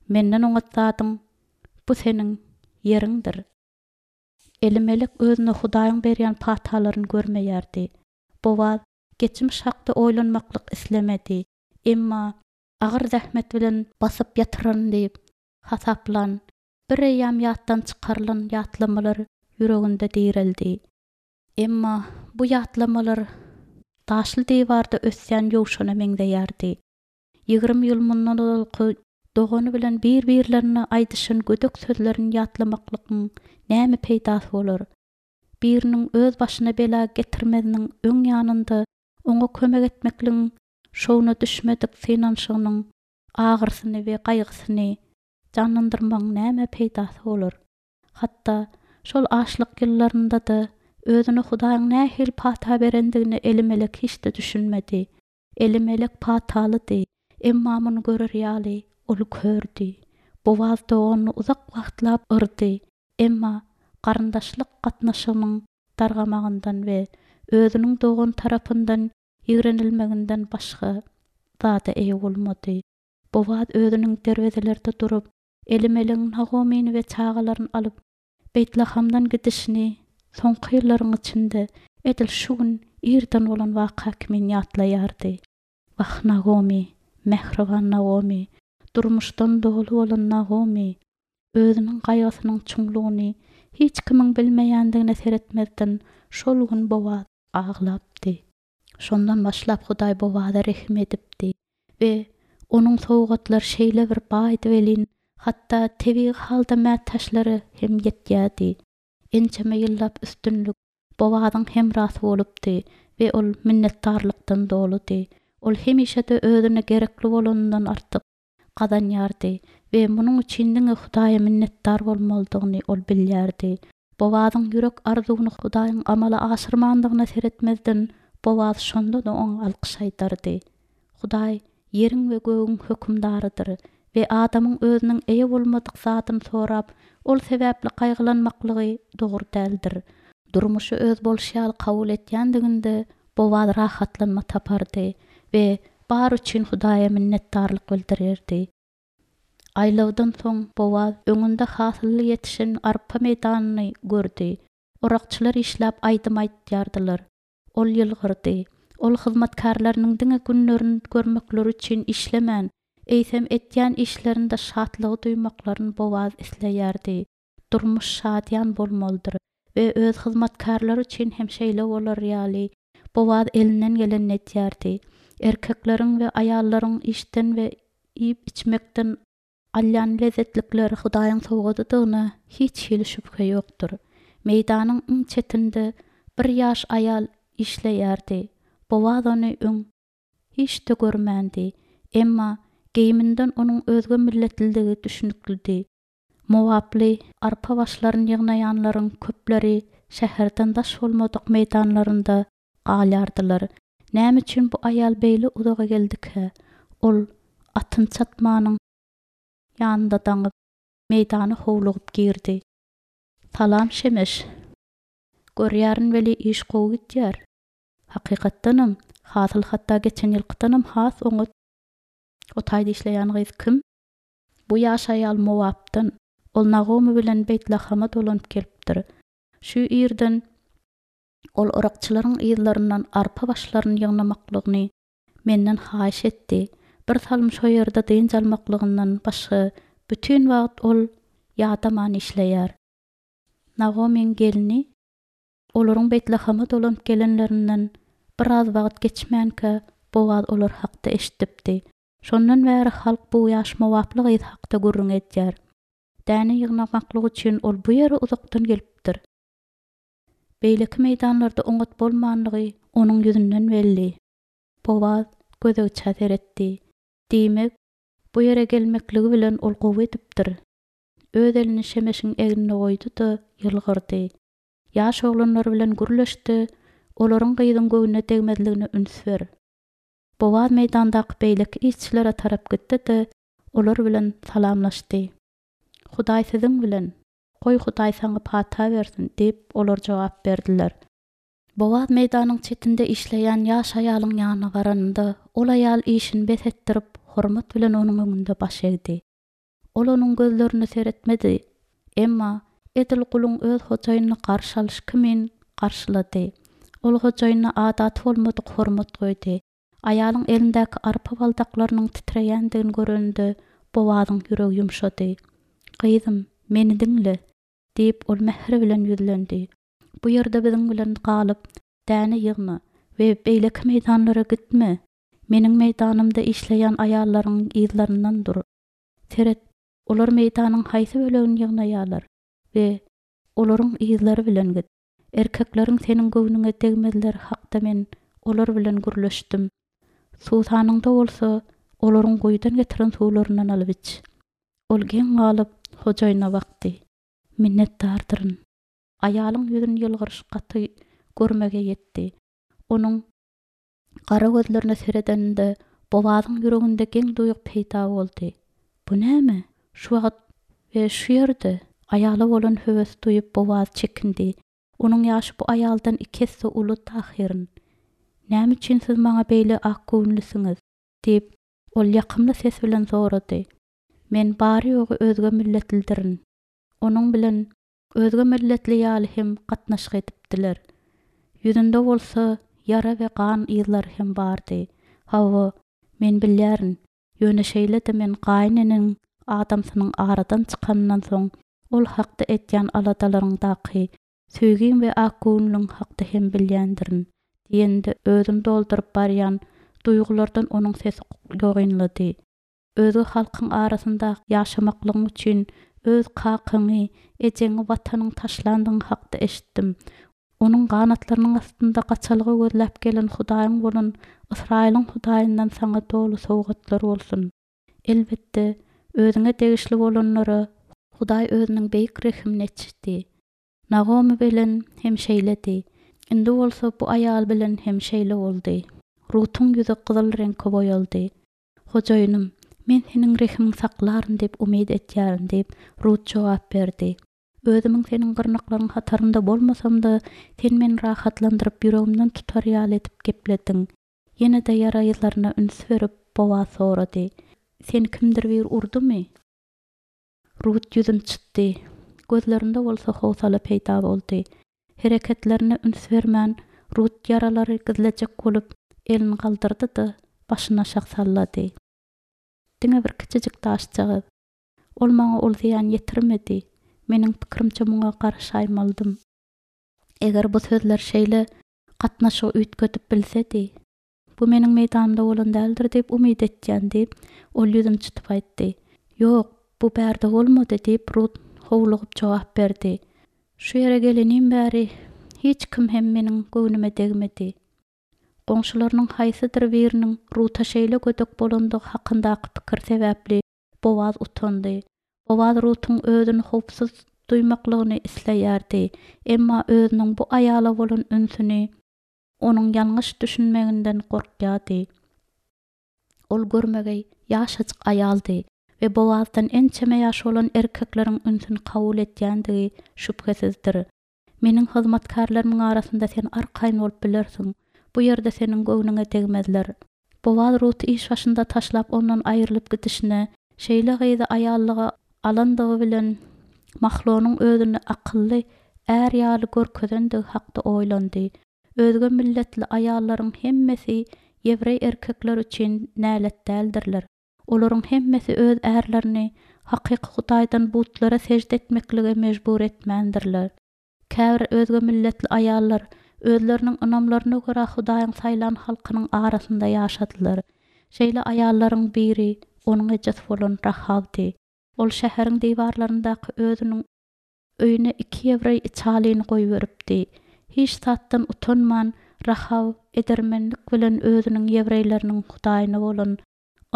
Menden oňat zadyň bu seniň ýeriňdir. Elimelek özüne Hudaýyň berýän patalaryny görmeýärdi. Bowaz geçmiş hakda oýlanmaklyk islemedi. Emma agyr zähmet bilen basyp ýatyran diýip hasaplan, bir eýýäm ýatdan çykarylan ýatlamalar ýüreginde direldi. Emma bu ýatlamalar daşly diwarda ösýän ýowşana meňzeýärdi. Ýigrimi ýyl mundan ozalky dogany bilen bir-birlerine aýdyşan gödek sözlerini ýatlamaklygyň näme peýdasy bolar? Biriniň öz başyna bela getirmeziniň öň ýanynda oňa kömek etmekligiň şowuna düşmedik synanyşygynyň agyrysyny we gaýgysyny janlandyrmagyň näme peýdasy bolar? Hatda şol açlyk ýyllarynda-da özüne Hudaýyň nähili pata berendigine Elimelek hiç-de düşünmedi. Elimelek patalydy, emma muny görer ýaly ol kördi. Bowaz doganyny uzak wagtlap yrdy, emma garyndaşlyk gatnaşygynyň dargamagyndan we özüniň dogany tarapyndan ýigrenilmeginden başga zada eýe bolmady. Bowaz özüniň derwezelerde durup, Elimelegiň Nagomyny we çagalaryny alyp, Beýtlahamdan gidişini soňky ýyllaryň içinde edil şu gün irden bolan waka kimin ýatlaýardy. Wah, Nagomy, mähriban Nagomy, durmuşdan doly bolan Nagomy, özüniň gaýgysynyň çuňlugyny Hiç kimiň bilmeýändigine seretmezden, şol gün Bowaz aglapdy. Şondan başlap Hudaý Bowaza rehim edipdi we onuň sowgatlary şeýle bir baýdy welin, hatda tebigy halda mätäçlere hem ýetýärdi. Ençeme ýyllap üstünlik Bowazyň hemrasy bolupdy we ol minnetdarlykdan doludy. Ol hemişe-de özüne gerekli bolanyndan artyk gazanýardy we munuň üçin diňe Hudaýa minnetdar bolmalydygyny ol bilýärdi. Bowazyň ýürek arzuwyny Hudaýyň amala aşyrmandygyna seretmezden, Bowaz şonda-da oňa alkyş aýdardy. Hudaý ýeriň we gögüň hökümdarydyr we adamyň özüniň eýe bolmadyk zadyny sorap, ol sebäpli gaýgylanmaklygy dogry däldir. Durmuşy öz bolşy ýaly kabul etýändiginde Bowaz rahatlanma tapardy we bary üçin Hudaýa minnetdarlyk bildirerdi. Aýlawdan soň Bowaz öňünde hasylly ýetişen arpa meýdanyny gördi. Orakçylar işläp aýdym aýdýardylar. Ol ýylgyrdy. Ol hyzmatkärleriniň diňe günlerini görmekleri üçin işlemän, eýsem etýän işlerinde şatlygy duýmaklaryny Bowaz isleýärdi. Durmuş şadyýan bolmalydyr we öz hyzmatkärleri üçin hem şeýle bolar ýaly, Bowaz elinden gelenini edýärdi. Erkekleriň we aýallaryň işden we iýip-içmekden alýan lezzetlikleri Hudaýyň sowgadydygyna hiç hili şübhe ýokdur. Meýdanyň iň çetinde bir ýaş aýal işleýärdi. Bowaz ony öň hiç-de görmändi. Emma geýiminden onuň özge milletlidigi düşüniklidi. Mowaply arpa başlaryny ýygnaýanlaryň köpleri şäherden daş bolmadyk meýdanlarynda galýardylar. Näme üçin bu aýal beýle uzaga geldikä? Ol atyny çatmanyň ýanynda daňyp, meýdana howlugyp girdi. Salam, Şemeş! Görýärin weli iş gowy gidýär. Hakykatdanam, hasyl hatda geçen ýylkydanam has oňat. O taýda işleýän gyz kim? Bu ýaş aýal Mowapdan. Ol Nagomy bilen Beýtlahama dolanyp gelipdir. Şu ýerden ol orakçylaryň yzlaryndan arpa başlaryny ýygnamaklygyny menden haýyş etdi. Bir salym şo ýerde dynç almaklygyndan başga bütin wagt ol ýadaman işleýär. Nagomyň gelni olaryň Beýtlahama dolanyp gelenlerinden biraz wagt geçmänkä Bowaz olar hakda eşidipdi. Şondan bäri halk bu ýaş mowaply gyz hakda gürrüň edýär. Däne ýygnamaklyk üçin ol bu ýere uzakdan gelipdir. Beýleki meýdanlarda oňat bolmanlygy onuň ýüzünden belli. Bowaz gözegçä seretdi. Diýmek, bu ýere gelmekligi bilen ol gowy edipdir. Öz elini Şemeşiň egnine goýdy-da, ýylgyrdy. Ýaş oglanlar bilen gürleşdi, olaryň gyzyň göwnüne degmezligine üns ber. Bowaz meýdandaky beýleki işçilere tarap gitdi-de, olar bilen salamlaşdy. Hudaý siziň bilen, goý Hudaý saňa pata bersin, diýip, olar jogap berdiler. Bowaz meýdanyň çetinde işleýän ýaş aýalyň ýanyna baranynda, ol aýal işini bes etdirip, hormat bilen onuň öňünde baş egdi. Ol onuň gözlerine seretmedi, emma edil guluň öz hojaýynyny garşy alyş kimin garşylady. Ol hojaýynyna adaty bolmadyk hormat goýdy. Aýalyň elindäki arpa baldaklarynyň titreýändigini görende, Bowazyň ýüregi ýumşady. Gyzym, meni diňle, diýip, ol mähir bilen ýüzlendi. Bu ýerde biziň bilen galyp, däne ýygna we beýleki meýdanlara gitme. Meniň meýdanymda işleýän aýallaryň yzlaryndan dur. Seret, olar meýdanyň haýsy bölegini ýygnaýarlar we olaryň yzlary bilen git. Erkekleriň seniň göwnüňe degmezleri hakda men olar bilen gürleşdim. Suwsanyňda bolsa, olaryň guýudan getiren suwlaryndan alyp iç. Ol geň galyp, hojaýyna bakdy. Minnetdardyryn. Aýalyň ýüzüni ýylgyryş gaty görmege ýetdi. Onuň gara gözlerine seredeninde Bowazyň ýüreginde geň duýgy peýda boldy. Bu näme? Şu wagt we şu ýerde aýala bolan höwes duýup Bowaz çekindi. Onuň ýaşy bu aýaldan iki esse uludy ahyryn. Näme üçin siz maňa beýle akgöwünlisiňiz? Diýip, ol ýakymly ses bilen sorady. Men bary-ýogy özge milletlidirin. Onuň bilen özge milletli ýaly hem gatnaşyk edipdiler. Ýüzünde bolsa ýara we gan yzlary hem bardy. Hawa, men bilýärin. Ýöne şeýle-de men gaýyneneniň adamsynyň aradan çykanyndan soň Ol hakda edýän aladalaryňdaky söýgiň we akgöwünligiň hakda hem bilýändirin, diýende özüni dolduryp barýan duýgulardan onuň sesi ýogynlady. Özge halkyň arasynda ýaşamaklygyň üçin öz kakyňy, ejeňi, watanyňy taşlandygyň hakda eşitdim. Onuň ganatlarynyň astynda gaçalga gözläp gelen Hudaýyň bolan Ysraýylyň Hudaýyndan saňa doly sowgatlar bolsun. Elbetde, özüňe degişli bolanlara Hudaý özüniň beýik rehimini eçdi. Nagomy bilen hem şeýledi. Indi bolsa bu aýal bilen hem şeýle boldy. Rutuň ýüzi gyzyl reňke boýaldy. Hojaýynym, men seniň rehimiňi saklaryn diýip umyt edýärin diýip, Rut jogap berdi. Özümiň seniň gyrnaklaryň hatarynda bolmasam-da, sen meni rahatlandyryp, ýüregimden tutar ýaly edip geplediň. Ýene-de ýara yzlaryna üns berip, Bowaz sorady. Seni kimdir biri urdumy? Rut ýüzüni çytdy. Gözlerinde bolsa howsala peýda boldy. Hereketlerine üns bermän, Rut ýaralary gizlejek bolup, elini galdyrdy-da, başyny aşak sallady. Diňe bir kiçijik daşjagaz. Ol maňa ol zyýan ýetirmedi. Meniň pikirimçe muňa garaşaýmalydym. Eger bu sözler şeýle gatnaşygy üýtgedip bilsedi. Bu meniň meýdanymda bolan däldir diýip umyt etýän, diýip, ol ýüzüni çytyp aýtdy. Ýok, bu bärde bolmady, diýip, Rut howlugyp jogap berdi. Şu ýere gelenim bäri hiç kim hem meniň göwnüme degmedi. Goňşularynyň haýsydyr biriniň Ruta şeýle gödek bolandygy hakyndaky pikir sebäpli Bowaz utandy. Bowaz Rutuň özüni howpsuz duýmaklygyny isleýärdi, emma özüniň bu aýala bolan ünsüni onuň ýalňyş düşünmeginden gorkýardy. Ol görmegeý, ýaşajyk aýaldy we Bowazdan ençeme ýaş bolan erkekleriň ünsüni kabul edýändigi şübhesizdir. Meniň hyzmatkärlerimiň arasynda sen arkaýyn bolup bilersiň. Bu ýerde seniň göwnüňe degmezler. Bowaz Ruty iş başynda taşlap ondan aýrylyp gidişine, şeýle gyzy aýallyga alandygy bilen Mahlonyň özüni akylly är ýaly görkezendigi hakda oýlandy. Özge milletli aýallaryň hemmesi ýewreý erkekleri üçin nälet däldirler. Olaryň hemmesi öz ärlerini hakyky Hudaýdan butlara sežde etmeklige mejbur etmändirler. Käbir özge milletli aýallar özleriniň ynamlaryna görä Hudaýyň saýlan halkynyň arasynda ýaşadylar. Şeýle aýallaryň biri onuň ejesi bolan Rahawdy. Ol şäheriň diwarlaryndaky özüniň öýüne iki ýewreý içalyny goýberipdi. Hiç zatdan utanman Rahaw edermenlik bilen özüniň ýewreýleriniň Hudaýyna bolan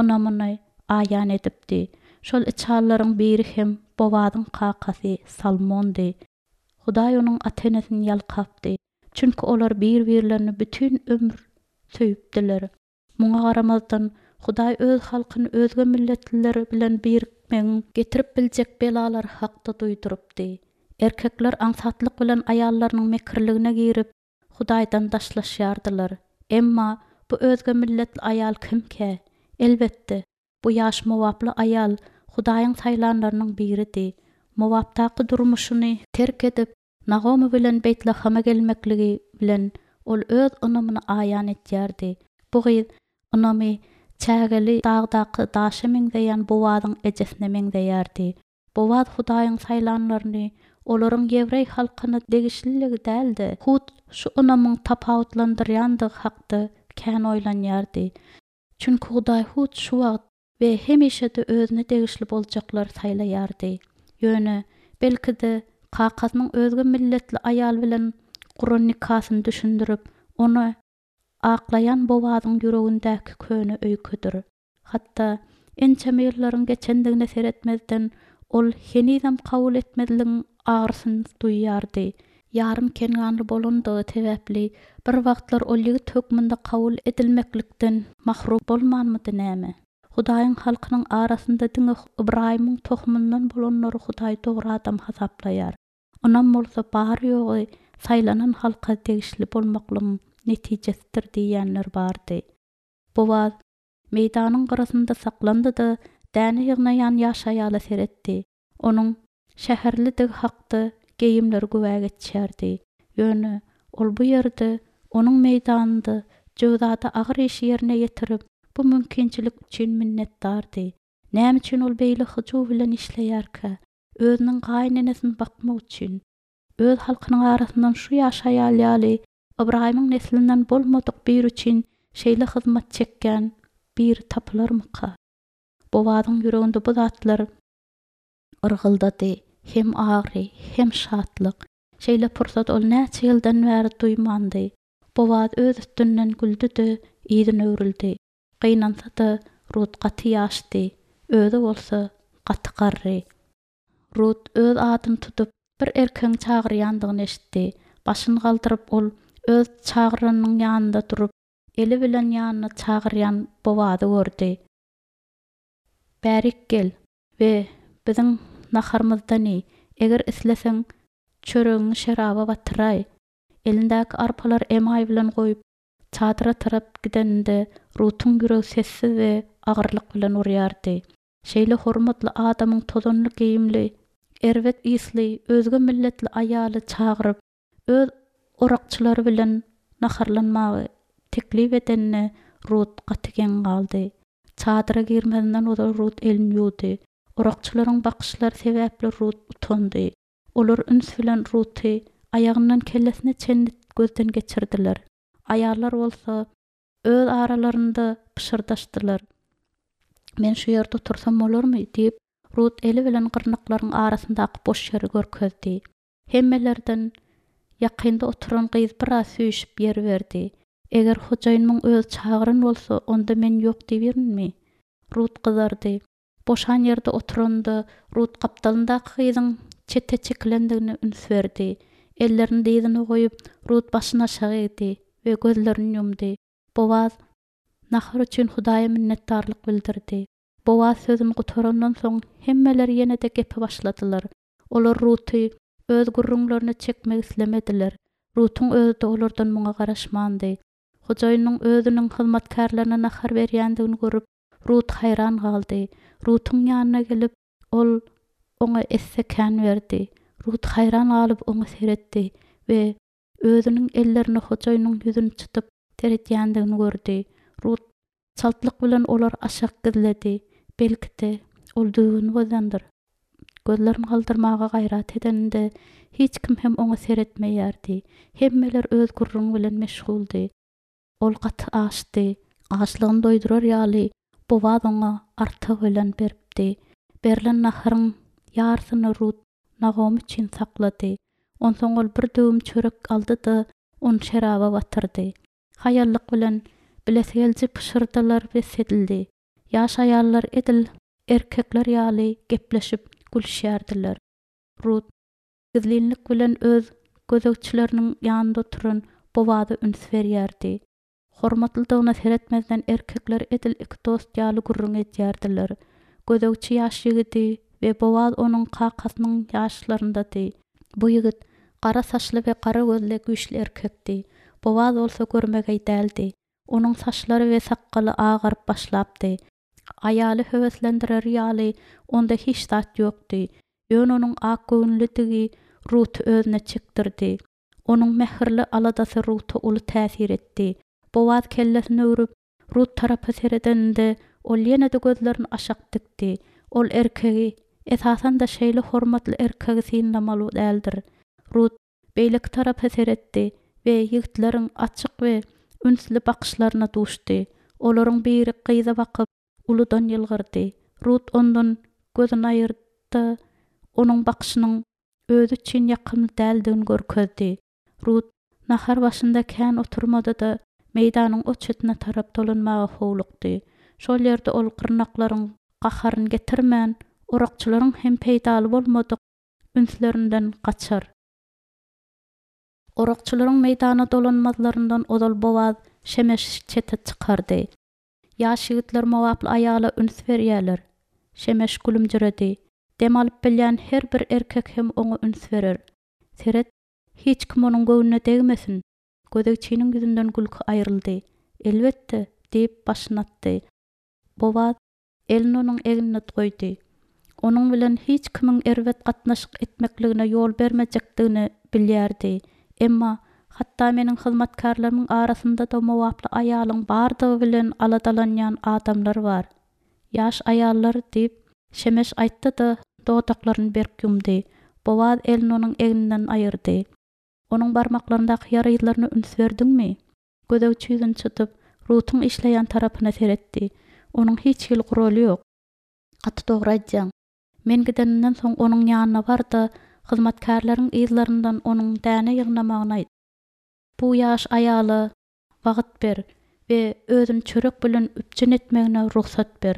ynamyny aýan edipdi. Şol içalylaryň biri hem Bowazyň kakasy Salmondy. Hudaý onuň ata-enesini ýalkapdy. Çünki olar bir-birlerini bütin ömür söýüpdiler. Muňa garamazdan, Hudaý öz halkyny özge milletliler bilen birikmegiň getirip biljek belalary hakda duýdurypdy. Erkekler aňsatlyk bilen aýallarynyň mekirligine girip, Hudaýdan daşlaşýardylar. Emma bu özge milletli aýal kimkä? Elbetde, bu ýaş mowaply aýal Hudaýyň saýlanlarynyň biridi. Mowapdaky durmuşyny terk edip, Nagomy bilen Beýtlahama gelmekligi bilen ol öz ynamyny aýan edýärdi. Bu gyz ynamy çägeli dagdaky daşa meňzeýän Bowazyň ejesine meňzeýärdi. Bowaz Hudaýyň saýlanlaryny olaryň ýewreý halkyna degişliligi däl-de, hut şu ynamyň tapawutlandyrýandygy hakda kän oýlanýardy. Çünki Hudaý hut şu wagt we hemişe-de özüne degişli boljaklary saýlaýardy. Ýöne, belki-de, kakasynyň özge milletli aýal bilen guran nikasyny düşündirip, ony aklaýan Bowazyň ýüregindäki köne öýkedir. Hatda, ençeme ýyllaryň geçendigine seretmezden, ol henizem kabul etmezligiň agyrysyny duýýardy. Ýarym kenganly bolandygy sebäpli, bir wagtlar ol ýigit hökmünde kabul edilmeklikden mahrum bolmanmydy näme? Hudaýyň halkynyň arasynda diňe Ybraýymyň tohumyndan bolanlary Hudaý dogry adam hasaplaýar. Ynam bolsa bary-ýogy saýlanan halka degişli bolmaklygyň netijesidir diýýänler bardy. Bowaz meýdanyň gyrasynda saklandy-da, däne ýygnaýan ýaş aýala seretdi. Onuň şäherlidigi hakda geýimleri güwä geçýärdi. Ýöne ol bu ýerde, onuň meýdanynda jöwzada agyr işi ýerine ýetirip, bu mümkinçilik üçin minnetdardy. Näme üçin ol beýle hyjuw bilen işleýärkä? Özüniň gaýynenesini bakmak üçin, öz halkynyň arasyndan şu ýaş aýal ýaly Ybraýymyň neslinden bolmadyk biri üçin şeýle hyzmat çekýän biri tapylarmyka? Bowazyň ýüreginde bu zatlar yrgyldady, hem agyry, hem şatlyk. Şeýle pursat ol näçe ýyldan bäri duýmandy. Bowaz öz üstünden güldi-de, yzyna öwrüldi. Gynansa-da, Rut gaty ýaşdy, özi bolsa gaty garry. Rut öz adyny tutup, bir erkegiň çagyrýandygyny eşitdi. Başyny galdyryp, ol öz çagyranynyň ýanynda durup, eli bilen ýanyna çagyrýan Bowazy gördi. Bärik gel we biziň naharymyzdan iý. Eger isleseň, çöregiňi şeraba batyraý. Elindäki arpalary emaý bilen goýup, çadyra tarap gideninde, Rutuň ýüregi sessiz we agyrlyk bilen urýardy. Şeýle hormatly adamyň tozanly geýimli, erbet ysly, özge milletli aýaly çagyryp, öz orakçylary bilen naharlanmagy teklip edenine Rut gaty geň galdy. Çadyra girmezinden ozal Rut elini ýuwdy. Orakçylaryň bakyşlary sebäpli Rut utandy. Olar üns bilen Ruty aýagyndan kellesine çenli gözden geçirdiler. Aýallar bolsa öz aralarynda pyşyrdaşdylar. Men şu ýerde otursam bolarmy? diýip, Rut eli bilen gyrnaklaryň arasyndaky boş ýeri görkezdi. Hemmelerden ýakynda oturan gyz biraz süýşüp ýer berdi. Eger hojaýynymyň özi çagyran bolsa, onda men ýok diýiberinmi? Rut gyzardy. Boşan ýerde oturanda, Rut gapdalyndaky gyzyň çete çekilendigine üns berdi. Ellerini dyzyna goýup, Rut başyny aşak egdi we gözlerini ýumdy. Bowaz nahar üçin Hudaýa minnetdarlyk bildirdi. Bowaz sözüni gutarandan soň, hemmeler ýene-de gepe başladylar. Olar Ruty öz gürrüňlerine çekmek islemediler. Rutuň özi-de olardan muňa garaşmandy. Hojaýynynyň özüniň hyzmatkärlerine nahar berýändigini görüp, Rut haýran galdy. Rutuň ýanyna gelip, ol oňa esse kän berdi. Rut haýran galyp oňa seretdi we özüniň ellerini hojaýynynyň ýüzüni çytyp seredýändigini gördi. Rut çaltlyk bilen olary aşak gizledi. Belki-de, ol düzgüni bozandyr. Gözlerini galdyrmaga gaýrat edeninde, hiç kim hem oňa seretmeýärdi. Hemmeler öz gürrüňi bilen meşguldy. Ol gaty açdy. Açlygyny doýdurar ýaly, Bowaz oňa artygy bilen beripdi. Berlen naharyň ýarysyny Rut Nagomy üçin saklady. Onsoň ol bir döwüm çörek aldy-da, ony şeraba batyrdy. Haýallyk bilen, bilesigeliji pyşyrdylar bes edildi. Ýaş aýallar edil erkekler ýaly gepleşip, gülüşýärdiler. Rut gizlinlik bilen öz gözegçileriniň ýanynda oturan Bowaza üns berýärdi. Hormatlydygyna seretmezden erkekler edil iki dost ýaly gürrüň edýärdiler. Gözegçi ýaş ýigidi we Bowaz onuň kakasynyň ýaşlaryndady. Bu ýigit gara saçly we gara gözli güýçli erkekdi. Bowaz bolsa görmegeý däldi. Onuň saçlary we sakgaly agaryp başlapdy. Aýaly höweslendirer ýaly onda hiç zat ýokdy. Ýöne onuň akgöwünlidigi Ruty özüne çekdirdi. Onuň mähirli aladasy Ruta uly täsir etdi. Bowaz kellesini öwrüp, Rut tarapa seredeninde, ol ýene-de gözlerini aşak dikdi. Ol erkegi, esasan-da şeýle hormatly erkegi synlamaly däldir. Rut beýleki tarapa seretdi we ýigitleriň açyk we ünsli bakyşlaryna duşdy. Olaryň biri gyza bakyp, uludan ýylgyrdy. Rut ondan gözüni aýyrdy-da, onuň bakyşynyň özi üçin ýakymly däldigini görkezdi. Rut nahar başynda kän oturmady-da, meýdanyň o çetine tarap dolanmaga howlukdy. Şol ýerde ol gyrnaklaryň gaharyny getirmän, orakçylaryň hem peýdaly bolmadyk ünslerinden gaçar. Orakçylaryň meýdana dolanmazlaryndan ozal Bowaz Şemeşi çete çykardy. Ýaş ýigitler mowaply aýala üns berýärler. Şemeş gülümjiredi. Dem alyp bilýän her bir erkek hem oňa üns berer. Seret, hiç kim onuň göwnüne degmesin. Gözegçiniň ýüzünden gülki aýryldy. Elbetde, diýip, başyny atdy. Bowaz elini onuň egnine goýdy. Onuň bilen hiç kimiň erbet gatnaşyk etmekligine ýol bermejekdigini bilýärdi. Emma, hatda meniň hyzmatkärlerimiň arasynda-da mowaply aýalyň bardygy bilen aladalanýan adamlar bar. Ýaş aýallar, diýip, Şemeş aýtdy-da, dodaklaryny berk ýumdy. Bowaz elini onuň egninden aýyrdy. Onuň barmaklaryndaky ýara yzlaryna üns berdiňmi? Gözegçi ýüzüni çytyp, Rutuň işleýän tarapyna seretdi. Onuň hiç hili guraly ýok. Gaty dogry aýdýaň. Men gidenimden soň onuň ýanyna bar-da, hyzmatkärleriň yzlaryndan onuň däne ýygnamagyny aýt. Bu ýaş aýala wagt ber we özüni çörek bilen üpjün etmegine rugsat ber.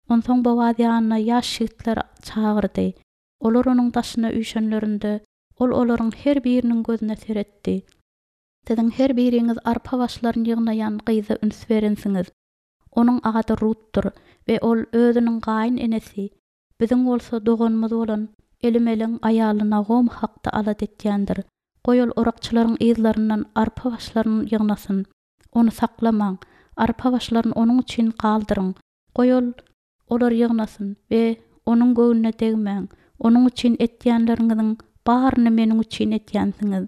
Onsoň Bowaz ýanyna ýaş ýigitleri çagyrdy. Olar onuň daşyna üýşenlerinde, ol olaryň her biriniň gözüne seretdi. Siziň her biriňiz arpa başlaryny ýygnaýan gyza üns berensiňiz. Onuň ady Rutdur we ol özüniň gaýyn enesi, biziň bolsa doganymyz bolan Elimelegiň aýaly Nagomy hakda alada etýändir. Goý ol orakçylaryň yzlaryndan arpa başlaryny ýygnasyn. Ony saklamaň, arpa başlaryny onuň üçin galdyryň. Goý ol olary ýygnasyn we onuň göwnüne degmäň. Onuň üçin etýänleriňiziň baryny meniň üçin etýänsiňiz.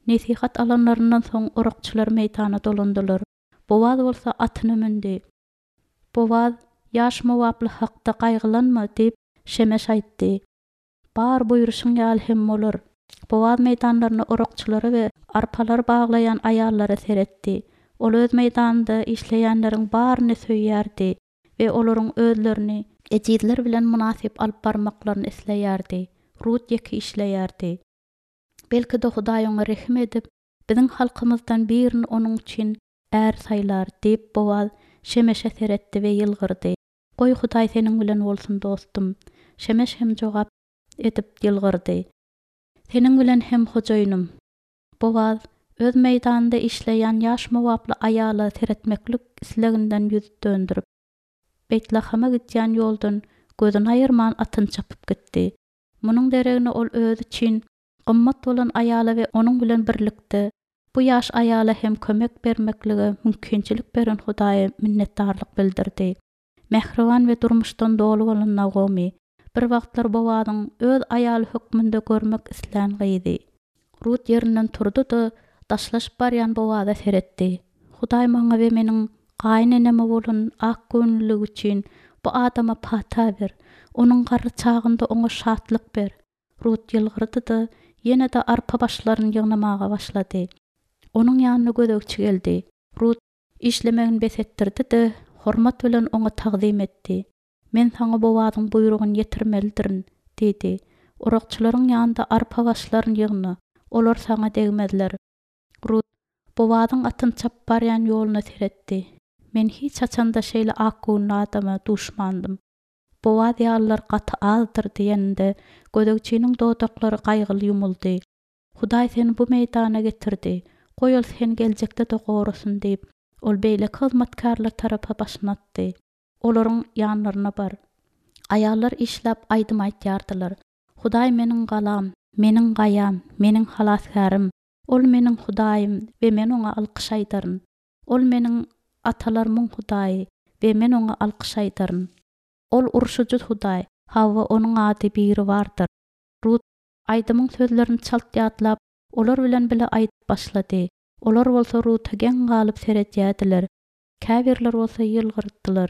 Nesihat alanlaryndan soň orakçylar meýdana dolandylar. Bowaz bolsa atyna mündi. Bowaz, ýaş mowaply hakda gaýgylanma diýip, Şemeş aýtdy. Bar buýruşyň ýaly hem bolar. Bowaz meýdanlaryna orakçylara we arpalary baglaýan aýallara seretdi. Ol öz meýdanynda işleýänleriň baryny söýýärdi we olaryň özlerini ejizler bilen mynasyp alyp barmaklaryny isleýärdi. Rut ýeke işleýärdi. Belki-de Hudaý oňa rehim edip, biziň halkymyzdan birini onuň üçin är saýlar diýip Bowaz Şemeşe seretdi we ýylgyrdy. Goý Hudaý seniň bilen bolsun dostum. Şemeş hem jogap edip ýylgyrdy. Seniň bilen hem hojaýynym. Bowaz öz meýdanynda işleýän ýaş mowaply aýala seretmeklik isleginden ýüz döndürip, Beýtlahama gidýän ýoldan gözüni aýyrman atyny çapyp gitdi. Munuň deregine ol özi üçin gymmat bolan aýala we onuň bilen birlikde bu ýaş aýala hem kömek bermeklige mümkinçilik beren Hudaýa minnetdarlyk bildirdi. Mähriban we durmuşdan doly bolan Nagomy bir wagtlar Bowazyň öz aýaly hökmünde görmek islän gyzy. Rut ýerinden turdy-da, daşlaşyp barýan Bowaza seretdi. Hudaý maňa we meniň gaýyneneme bolan ak göwünliligi üçin bu adama pata ber. Onuň garry çagynda oňa şatlyk ber. Rut ýylgyrdy-da, ýene-de arpa başlaryny ýygnamaga başlady. Onuň ýanyna gözegçi geldi. Rut işlemegini bes etdirdi-de, hormat bilen oňa tagzym etdi. Men saňa Bowazyň buýrugyny ýetirmelidirin, diýdi. Orakçylaryň ýanynda arpa başlaryny ýygna, olar saňa degmezler. Rut Bowazyň atyny çapyp barýan ýoluna seretdi. Men hiç haçanda şeýle ak göwünli adama duşmandym. Bowaz ýalylar gaty azdyr diýeninde gözegçiniň dodaklary gaýgyly ýumuldy. Hudaý seni bu meýdana getirdi. Goý ol seni geljekde-de gorasyn diýip, ol beýleki hyzmatkärler tarapa başyny atdy. Olaryň ýanlaryna bar. Aýallar işläp aýdym aýtýardylar. Hudaý meniň galam, meniň gaýam, meniň halasgärim. Ol meniň Hudaýym we men oňa alkyş aýdaryn. Ol meniň atalarymyň Hudaýy we men oňa alkyş aýdaryn. Ol urşujy Hudaý, hawa onuň ady biri bardyr. Rut aýdymyň sözlerini çalt ýatlap, olar bilen bile aýdyp başlady. Olar bolsa Ruta geň galyp seredýärdiler. Käbirler bolsa ýylgyrdylar.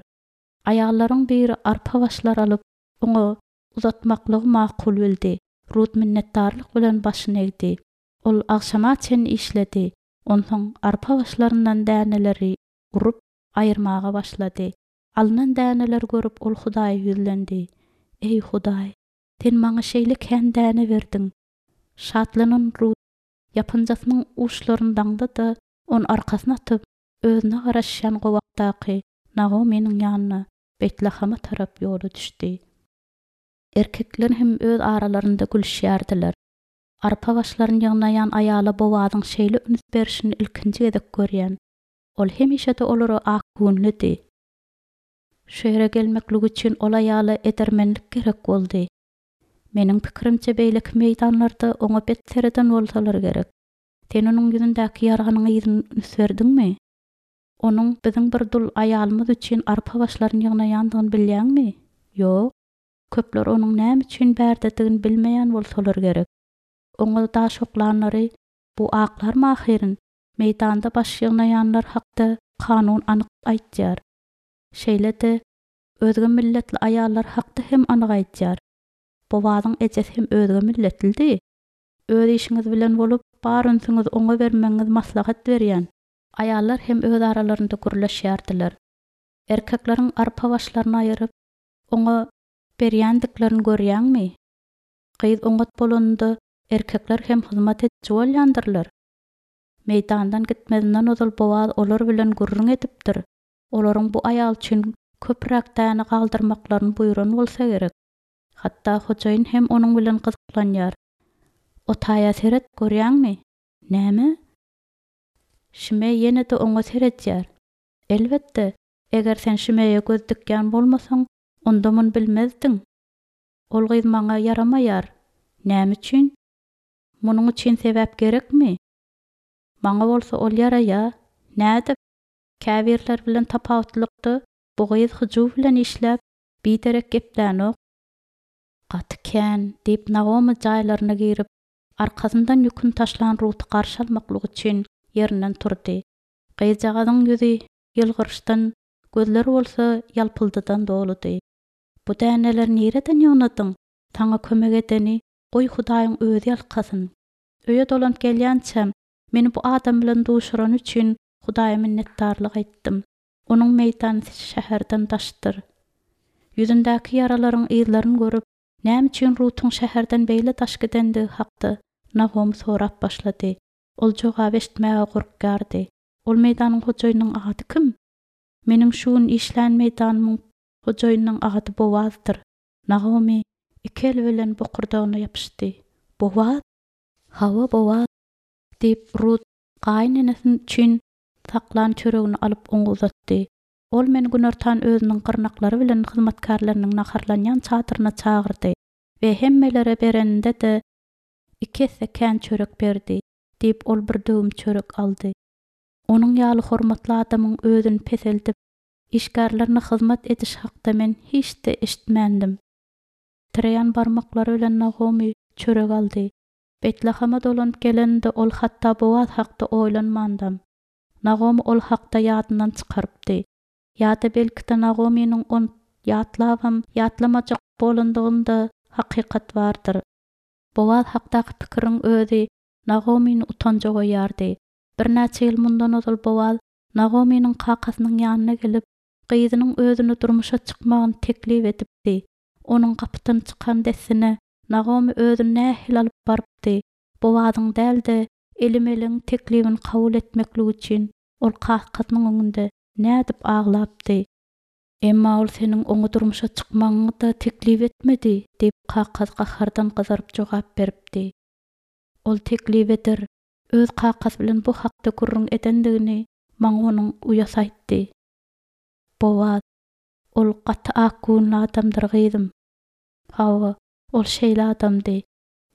Aýallaryň biri arpa başlar alyp, oňa uzatmaklygy makul bildi. Rut minnetdarlyk bilen başyny egdi. Ol agşama çenli işledi. Onsoň arpa başlaryndan däneleri urup aýyrmaga başlady. Alynan däneleri görüp ol Hudaýa ýüzlendi. Eý Hudaý, sen maňa şeýle kän däne berdiň. Şatlanan Rut ýapynjasynyň uçlaryny daňdy-da, ony arkasyna atyp, özüne garaşýan gowakdaky Nagomynyň ýanyna Beýtlahama tarap ýola düşdi. Erkekler hem öz aralarynda gülüşýärdiler. Arpa başlaryny ýygnaýan aýala Bowazyň şeýle üns berişini ilkinji gezek görýän. Ol hemişe-de olara ak göwünlidi. Şu ýere gelmeklik üçin ol aýala edermenlik gerek boldy. Meniň pikirimçe beýleki meýdanlarda oňa bet sereden bolsalar gerek. Sen onuň ýüzündäki ýaranyň yzyny üns berdiňmi? Onuň biziň bir dul aýalymyz üçin arpa başlaryny ýygnaýandygyny bilýäňmi? Ýok. Köpler onuň näme üçin bärdedigini bilmeýän bolsalar gerek. Oňa daş oklanlary bu aklarmy ahyryn? Meýdanda baş ýygnaýanlar hakda kanun anyk aýtýar. Şeýle-de özge milletli aýallar hakda hem anyk aýtýar. Bowazyň ejesi hem özge milletlidi. Öz işiňiz bilen bolup, bar ünsüňizi oňa bermegiňizi maslahat berýän. Aýallar hem öz aralarynda gürleşýärdiler. Erkekleriň arpa başlaryny aýyryp, oňa berýändiklerini görýäňmi? Gyz oňat bolanynda erkekler hem hyzmat ediji bolýandyrlar. Meýdandan gitmezinden ozal Bowaz olar bilen gürrüň edipdir. Olaryň bu aýal üçin köpräk däne galdyrmaklaryny buýran bolsa gerek. Hatda hojaýyn hem onuň bilen gyzyklanýar. O taýa seret, görýäňmi? Näme? Şimeý ýene-de oňa seredýär. Elbetde, eger sen Şimeýe göz dikýän bolmasaň, onda muny bilmezdiň. Ol gyz maňa ýaramaýar. Näme üçin? Munuň üçin sebäp gerekmi? Maňa bolsa ol ýaraýar. Nädip? Käbirler bilen tapawutlykda bu gyz hyjuw bilen işläp, biderek geplänok. Gaty kän, diýip Nagomy jaýlaryna girip, arkasyndan ýüküni taşlan Ruty garşy almaklyk üçin ýerinden turdy. Gyzjagazyň ýüzi ýylgyryşdan, gözleri bolsa ýalpyldydan doludy. Bu däneleri nireden ýygnadyň? Saňa kömek edeni goý Hudaýyň özi ýalkasyn. Öýe dolanyp gelýänçäm, meni bu adam bilen duşurany üçin Hudaýa minnetdarlyk aýtdym. Onuň meýdany şäherden daşdyr. Ýüzündäki ýaralaryň yzlaryny görüp, näme üçin Rutuň şäherden beýle daş gidendigi hakda Nagomy sorap başlady. Ol jogap eşitmäge gorkýardy. Ol meýdanyň hojaýynyň ady kim? Meniň şu gün işlän meýdanymyň hojaýynyň ady Bowazdyr. Nagomy iki eli bilen bokurdagyna ýapyşdy. Bowaz? Hawa, Bowaz, diýip Rut gaýynenesini üçin saklan çöregini alyp oňa uzatdy. Ol meni günortan özüniň gyrnaklary bilen hyzmatkärleriniň naharlanýan çadyryna çagyrdy we hemmelere bereninde-de iki esse kän çörek berdi, diýip ol bir döwüm çörek aldy. Onuň ýaly hormatly adamyň özüni peseldip, işgärlerine hyzmat ediş hakda men hiç-de eşitmändim. Titreýän barmaklary bilen Nagomy çörek aldy. Betleheme dolanyp geleninde ol hatda Bowaz hakda oýlanmandam. Nagomy ol hakda ýadyndan çykarypdy. Ýa-da belki-de Nagomynyň ony ýatlabam ýatlamajak bolandygynda hakykat bardyr. Bowaz hakdaky pikiriň özi Nagomyny utanja goýýardy. Birnäçe ýyl mundan ozal Bowaz Nagomynyň kakasynyň ýanyna gelip, gyzynyň özüne durmuşa çykmagyny teklip edipdi. Onuň gapydan çykan dessine Nagomy özüni nähili alyp barypdy. Bowazyň däl-de, Elimeligiň teklibini kabul etmeklik üçin ol kakasynyň öňünde nädip aglapdy. Emma ol seniň oňa durmuşa çykmagyňy-da teklip etmedi, diýip kakasy gahardan gyzaryp jogap beripdi. Ol teklip eder, öz kakasy bilen bu hakda gürrüň edendigini maňa onuň uýasy aýtdy. Bowaz, ol gaty ak göwünli adamdyr gyzym. Hawa, ol şeýle adamdy.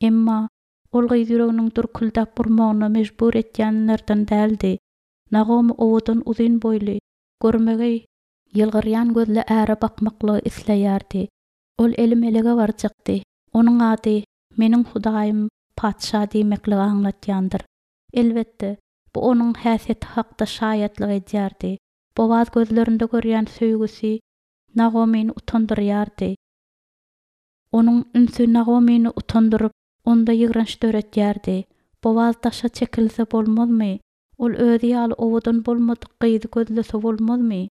Emma ol gyz ýüreginiň dürküldäp urmagyna mejbur etýänlerden däldi. Nagomy owadan uzyn boýly, görmegeý, ýylgyrýan gözli äre bakmaklygy isleýärdi. Ol Elimelege barjakdy. Onuň ady meniň Hudaýym patyşa diýmekligi aňlatýandyr. Elbetde, bu onuň häsiýeti hakda şaýatlyk edýärdi. Bowaz gözlerinde görýän söýgüsi Nagomyny utandyrýardy. Onuň ünsi Nagomyny utandyryp, onda ýigrenç döretýärdi. Bowaz daşa çekilse bolmazmy? Ol özi ýaly owadan bolmadyk gyzy gözlese bolmazmy?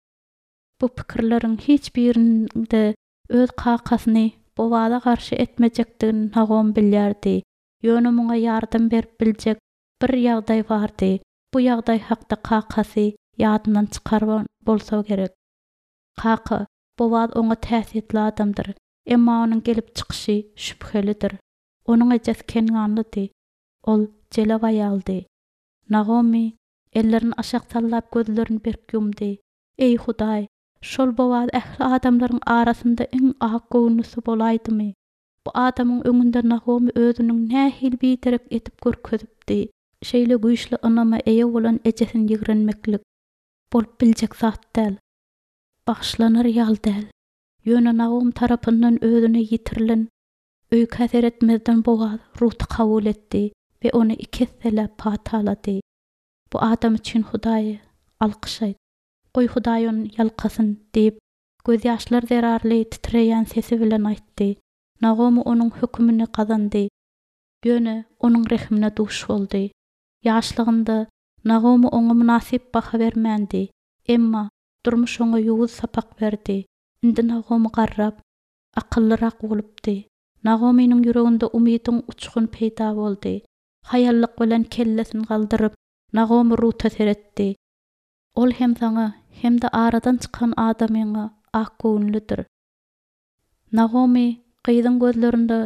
Bu pikirleriň hiç birinde öz kakasyny Bowaza garşy etmejekdigini Nagom bilýärdi. Ýöne muňa ýardam berip biljek bir ýagdaý bardy. Bu ýagdaý hakda kakasy ýadyndan çykarman bolsa gerek. Kaka, Bowaz oňa täsiýetli adamdyr. Emma onuň gelip çykyşy şübhelidir. Onuň ejesi Kenganlydy. Ol jelep aýaldy. Nagomy ellerini aşak sallap gözlerini berk ýumdy. Eý Hudaý, şol Bowaz ähli adamlaryň arasynda iň ak göwünlisi bolaýdymy? Bu adamyň öňünde Nagomy özüniň nähili biderek edip görkezipdi. Şeýle güýçli ynama eýe bolan ejesini ýigrenmeklik bolup biljek zat däl. Bagyşlanar ýaly däl. Ýöne Nagom tarapyndan özüne ýitirilen öýkä seretmezden Bowaz Ruty kabul etdi we ony iki esseläp patalady. Bu adam üçin Hudaýa alkyş aýt. Goý Hudaý ony ýalkasyn diýip, gözýaşlar zerarly titreýän sesi bilen aýtdy. Nagomy onuň hökümini gazandy, ýöne onuň rehimine duş boldy. Ýaşlygynda Nagomy oňa mynasyp baha bermändi, emma durmuş oňa ýowuz sapak berdi. Indi Nagomy garrap, akyllyrak bolupdy. Nagomynyň ýüreginde umydyň uçguny peýda boldy. Haýallyk bilen kellesini galdyryp, Nagomy Ruta seretdi. Ol hem saňa, hem-de aradan çykan adamyňa akgöwünlidir. Nagomy gyzyň gözlerinde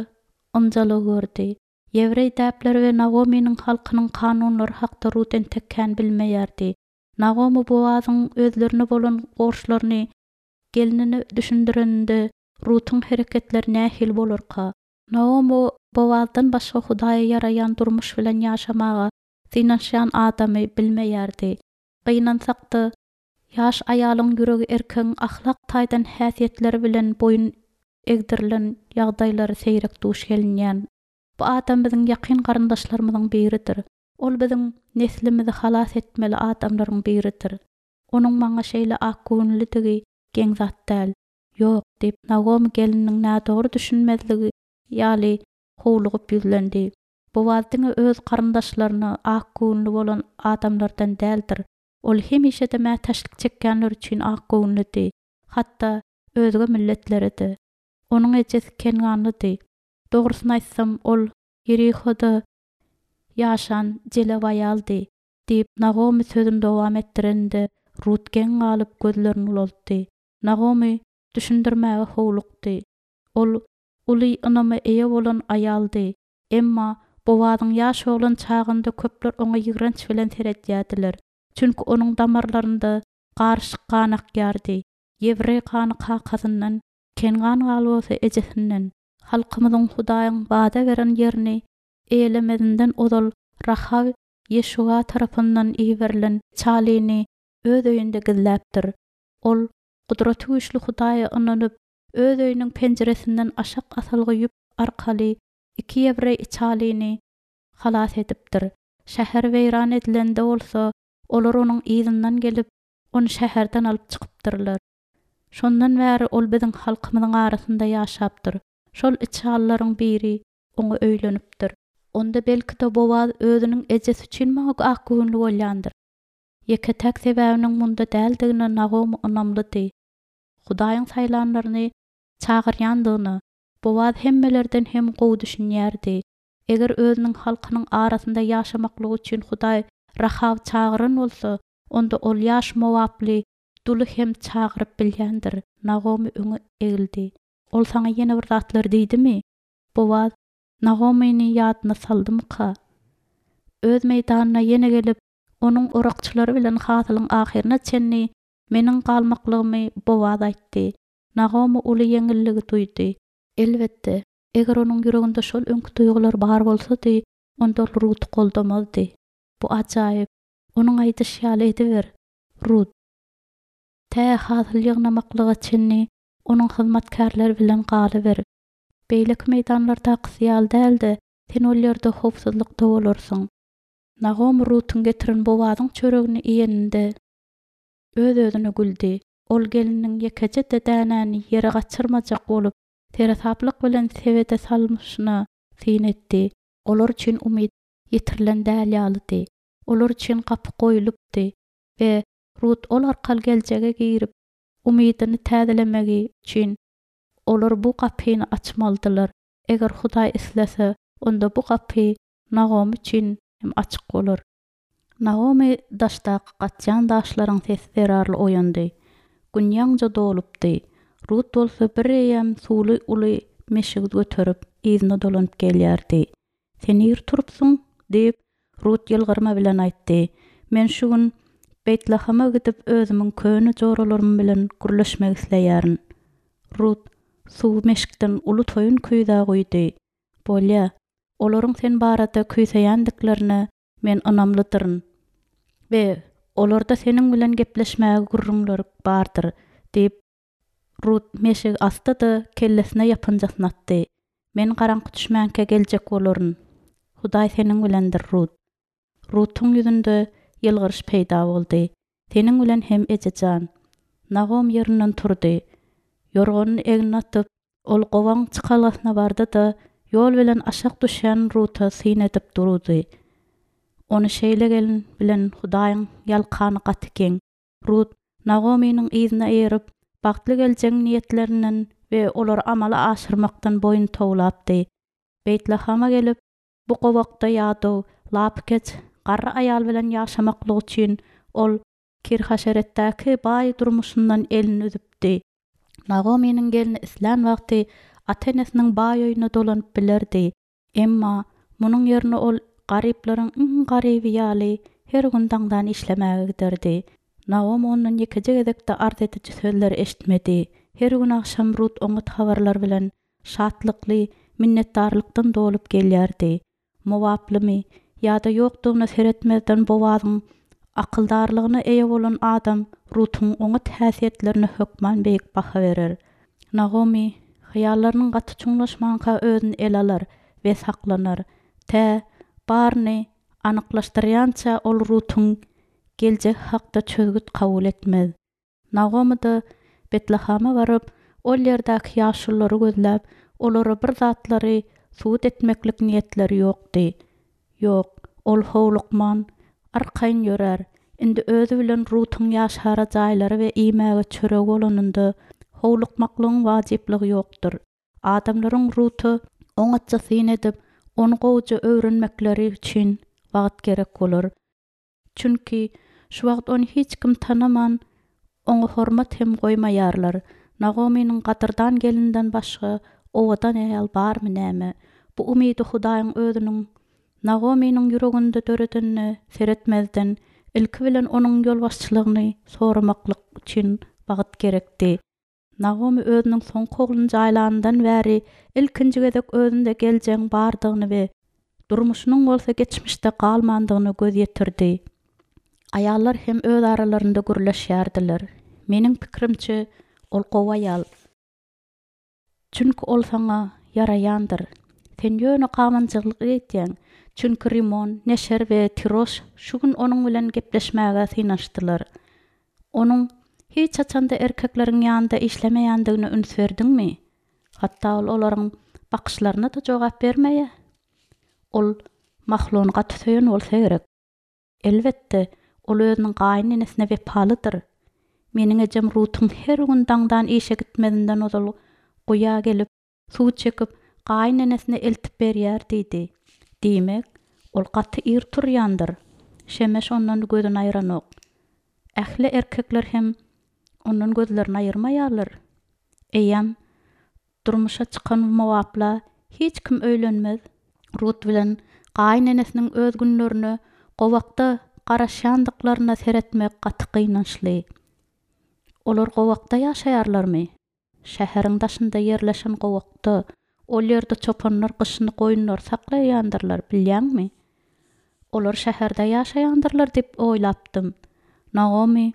ynjalygy gördi. Ýewreý däpleri we Nagomynyň halkynyň kanunlary hakda Rut entek kän bilmeýärdi. Nagomy Boazyň özlerine bolan borçlaryny gelnine düşündireninde Rutuň hereketleri nähili bolarka? Nagomy Boazdan başga Hudaýa ýaraýan durmuş bilen ýaşamaga synanyşýan adamy bilmeýärdi. Gynansak-da, ýaş aýalyň ýüregi erkegiň ahlak taýdan häsiýetleri bilen boýun egdirilen ýagdaýlary seýrek duş gelinýän. Bu adam biziň ýakyn garyndaşlarymyzyň biridir. Ol biziň neslimizi halas etmeli adamlaryň biridir. Onuň maňa şeýle akgöwünlidigi geň zat däl. Ýok, diýip, Nagomy gelniniň nädogry düşünmezligi ýaly howlugyp ýüzlendi. Boaz diňe öz garyndaşlaryna akgöwünli bolan adamlardan däldir. Ol hemişe-de mätäçlik çekýänler üçin akgöwünlidi, hatda özge milletlere-de. Onuň ejesi Kenganlydy. Dogrusyny aýtsam, ol Ýerihoda ýaşan jelew aýaldy, diýip, Nagomy sözüni dowam etdirende, Rut geň galyp gözlerini ulaltdy. Nagomy düşündirmäge howlukdy. Ol uly ynama eýe bolan aýaldy. Emma Boazyň ýaş oglan çagynda köpler oňa ýigrenç bilen seredýärdiler. Çünki onuň damarlarynda garyşyk gan akýardy. Ýewreý gany kakasyndan, Kengan gany bolsa ejesinden. Halkymyzyň Hudaýyň wada beren ýerini eýelemezinden ozal Rahaw Ýeşuga tarapyndan iberilen çalyny öz öýünde gizläpdir. Ol Gudratygüýçli Hudaýa ynanyp, öz öýüniň penjiresinden aşak asylgy ýüp arkaly iki ýewreý içalyny halas edipdir. Şäher weýran edilende bolsa, olar onuň yzyndan gelip, ony şäherden alyp çykypdyrlar. Şondan bäri ol biziň halkymyzyň arasynda ýaşapdyr. Şol içalylaryň biri oňa öýlenipdir. Onda belki-de Boaz özüniň ejesi üçin maňa akgöwünli bolýandyr. Ýeke-täk sebäbiniň munda däldigine Nagomy ynamlydy. Hudaýyň saýlanlaryny çagyrýandygyna Boaz hemmelerden hem gowy düşünýärdi. Eger özüniň halkynyň arasynda ýaşamaklygy üçin Hudaý Rahawy çagyran bolsa, onda ol ýaş mowaply duly hem çagyryp bilýändir. Nagomy öňe egildi. Ol saňa ýene bir zatlar diýdimi? Boaz Nagomyny ýadyna saldymyka? Öz meýdanyna ýene gelip, onuň orakçylary bilen hasylyň ahyryna çenli meniň galmaklygymy Boaz aýtdy. Nagomy uly ýeňilligi duýdy. Elbetde, eger onuň ýüreginde şol öňki duýgular bar bolsady, onda ol Ruty goldamazdy. Bu ajaýyp. Onuň aýdyşy ýaly ediber, Rut. Tä hasyl ýygnamaklyga çenli onuň hyzmatkärleri bilen galyber. Beýleki meýdanlardakysy ýaly däl-de, sen ol ýerde howpsuzlykda bolarsyň. Nagomy Rutuň getiren Boazyň çöregini iýeninde öz-özüne güldi. Ol gelniniň ýekeje-de dänäni ýere gaçyrmajak bolup, seresaplyk bilen sebede salmyşyna syn etdi. Olar üçin umyt ýitirilen däl ýalydy. Olar üçin gapy goýlupdy we Rut ol arkaly geljege girip, umydyny täzelemegi üçin olar bu gapyny açmalydylar. Eger Hudaý islese, onda bu gapy Nagomy üçin hem açyk bolar. Nagomy daşdaky gaçýan daşlaryň sesi zerarly oýandy. Gün ýaňja dolupdy. Rut bolsa bir eýýäm suwly uly meşigi göterip, yzyna dolanyp gelýärdi. Sen ir turupsyň? diýip, Rut ýylgyrma bilen aýtdy. Men şu gün Beýtlahama gidip özümiň köne joralarym bilen gürleşmek isleýärin. Rut suwy meşikden uly toýun küýzä guýdy. Bolýa, olaryň sen barada küýseýändiklerine men ynamlydyryn we olarda seniň bilen gepleşmäge gürrüňleri bardyr, diýip, Rut meşigi asdy-da, kellesine ýapynjasyny atdy. Men garaňky düşmänkä geljek bolaryn. Hudaý seniň bilendir, Rut. Rutuň ýüzünde ýylgyryş peýda boldy. Seniň bilen hem eje jan. Nagom ýerinden turdy. Ýorganyny egnine atyp, Ol gowagyň çykalgasyna bardy-da, ýol bilen aşak düşýän Ruta syn edip durdy. Ony şeýle gelin bilen Hudaýyň ýalkany gaty geň. Rut Nagomynyň yzyna eýerip, bagtly geljegiň niýetlerinden we olary amala aşyrmakdan boýun towlapdy. Beýtlahama gelip, bu gowakda ýadaw, lapykeç, garry aýal bilen ýaşamaklyk üçin ol Kirhaşeretdäki baý durmuşyndan elini üzüpdi. Nagomynyň gelni islän wagty ata-enesiniň baý öýüne dolanyp bilerdi. Emma munuň ýerine ol garyplaryň iň garyby ýaly her gün daňdan işlemäge giderdi. Nagomy ondan ýekeje gezek-de arz ediji sözleri eşitmedi. Her gün agşam Rut oňat habarlar bilen şatlykly, minnetdarlykdan dolup gelýärdi. Mowaplymy ýa-da ýokdugyna seretmezden Bowazyň akyldarlygyna eýe bolan adam Rutuň oňat häsiýetlerine hökman beýik baha berer. Nagomy hyýallarynyň gaty çuňlaşmanka özüni ele alar we saklanar. Tä baryny anyklaşdyrýança ol Rutuň geljegi hakda çözgüt kabul etmez. Nagomy-da Betlahama baryp, ol ýerdäki ýaşululary gözläp, olara bir zatlary subut etmeklik niýetleri ýokdy. Ýok, ol howlukman, arkaýyn ýörär. Indi özi bilen Rutuň ýaşara jaýlary we iýmäge çöregi bolanynda, howlukmaklygyň wajyplygy ýokdur. Adamlaryň Ruta oňatja syn edip, ony gowuja öwrenmekleri üçin wagt gerek bolar. Çünki şu wagt ony hiç kim tanaman, oňa hormat hem goýmaýarlar. Nagomynyň gadyrdan gelninden başga owadan aýal barmy näme? Bu umydy Hudaýyň özüniň Nagomynyň ýüreginde döredenine seretmezden, ilki bilen onuň ýolbaşçylygyny soramaklyk üçin wagt gerekdi. Nagomy özüniň soňky ogluny jaýlanyndan bäri ilkinji gezek özünde geljegiň bardygyny we durmuşynyň bolsa geçmişde galmandygyna göz ýetirdi. Aýallar hem öz aralarynda gürleşýärdiler. Meniň pikirimçe, ol gowy aýal. Çünki ol saňa ýaraýandyr. Sen ýöne gabanjyklyk edýäň. Çünki Rimon, Neşer we Tiroş şu gün onuň bilen gepleşmäge synanyşdylar. Onuň hiç haçan-da erkekleriň ýanynda işlemeýändigine üns berdiňmi? Hatda ol olaryň bakyşlaryna-da jogap bermeýär. Ol Mahlony gaty söýen bolsa gerek. Elbetde, ol özüniň gaýynenesine wepalydyr. Meniň ejem Rutuň her gün daňdan işe gitmezinden ozal guýa gelip, suw çekip, gaýynenesine eltip berýär diýdi. Diýmek, ol gaty ir turýandyr. Şemeş ondan gözüni aýranok. Ähli erkekler hem ondan gözlerini aýyrmaýarlar. Eýýäm durmuşa çykan mowapla hiç kim öýlenmez. Rut bilen gaýynenesiniň öz günlerine gowakda garaşýandyklaryna seretmek gaty gynançly. Olar gowakda ýaşaýarlarmy? Şäheriň daşynda ýerleşen gowakda, ol ýerde çopanlar gyşyny goýunlary saklaýandyrlar, bilýäňmi? Olar şäherde ýaşaýandyrlar diýip oýlapdym. Naomi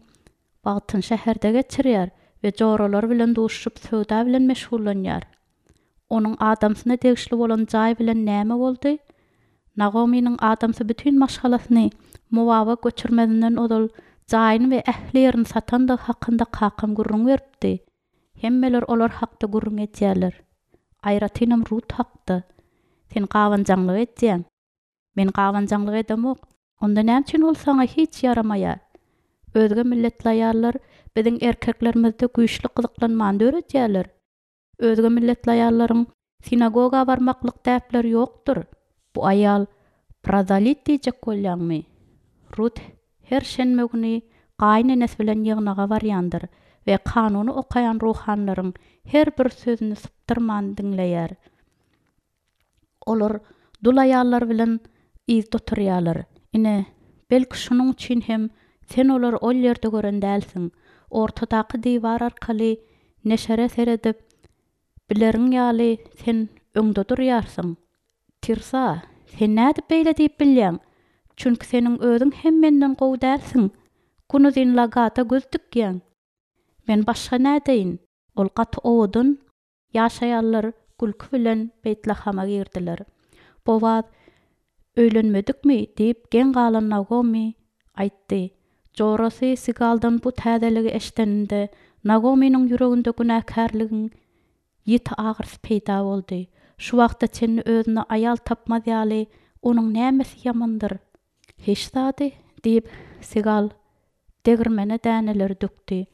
wagtyny şäherde geçirýär we joralary bilen duşup söwda bilen meşgullanýar. Onuň adamsyna degişli bolan jaý bilen näme boldy? Nagomynyň adamsy bütin maşgalasyny Mowaba göçürmezinden ozal jaýyny we ähli ýerini satandygy hakynda kakam gürrüň beripdi. Hemmeler olar hakda gürrüň edýärler. Aýratynam Rut hakda. Sen gabanjaňlyk edýäň. Men gabanjaňlyk edemok. Onda näme üçin ol saňa hiç ýaramaýar? Özge milletli aýallar biziň erkeklerimizde güýçli gyzyklanmany döredýärler. Özge milletli aýallaryň sinagoga barmaklyk däpleri ýokdur. Bu aýal prozelit diýjek bolýaňmy? Rut her şenbe güni gaýynenesi bilen ýygnaga barýandyr we kanuny okaýan ruhanylaryň her bir sözüni sypdyrman diňleýär. Olar dul aýallar bilen yzda oturýarlar. Ine, belki şunuň üçin hem sen olary ol ýerde gören dälsiň. Ortadaky diwar arkaly neşere seredip, bileriň ýaly sen öňde durýarsyň. Tirsa, sen nädip beýle diýip bilýäň? Çünki seniň özüň hem menden gowy dälsiň. Günuzyn lagata göz dikýäň. Men başga nädeýin? Ol gaty owadan, ýaş aýallar gülki bilen Beýtlahama girdiler. Bowaz öýlenmedikmi diýip geň galan Nagomy aýtdy. Jorasy Sigaldan bu täzeligi eşdeninde Nagomynyň ýüreginde günäkärligiň ýiti agyrysy peýda boldy. Şu wagta çenli özüne aýal tapmaz ýaly onuň nämesi ýamandyr? Hiç zady, diýip, Sigal degirmene däneleri dökdi.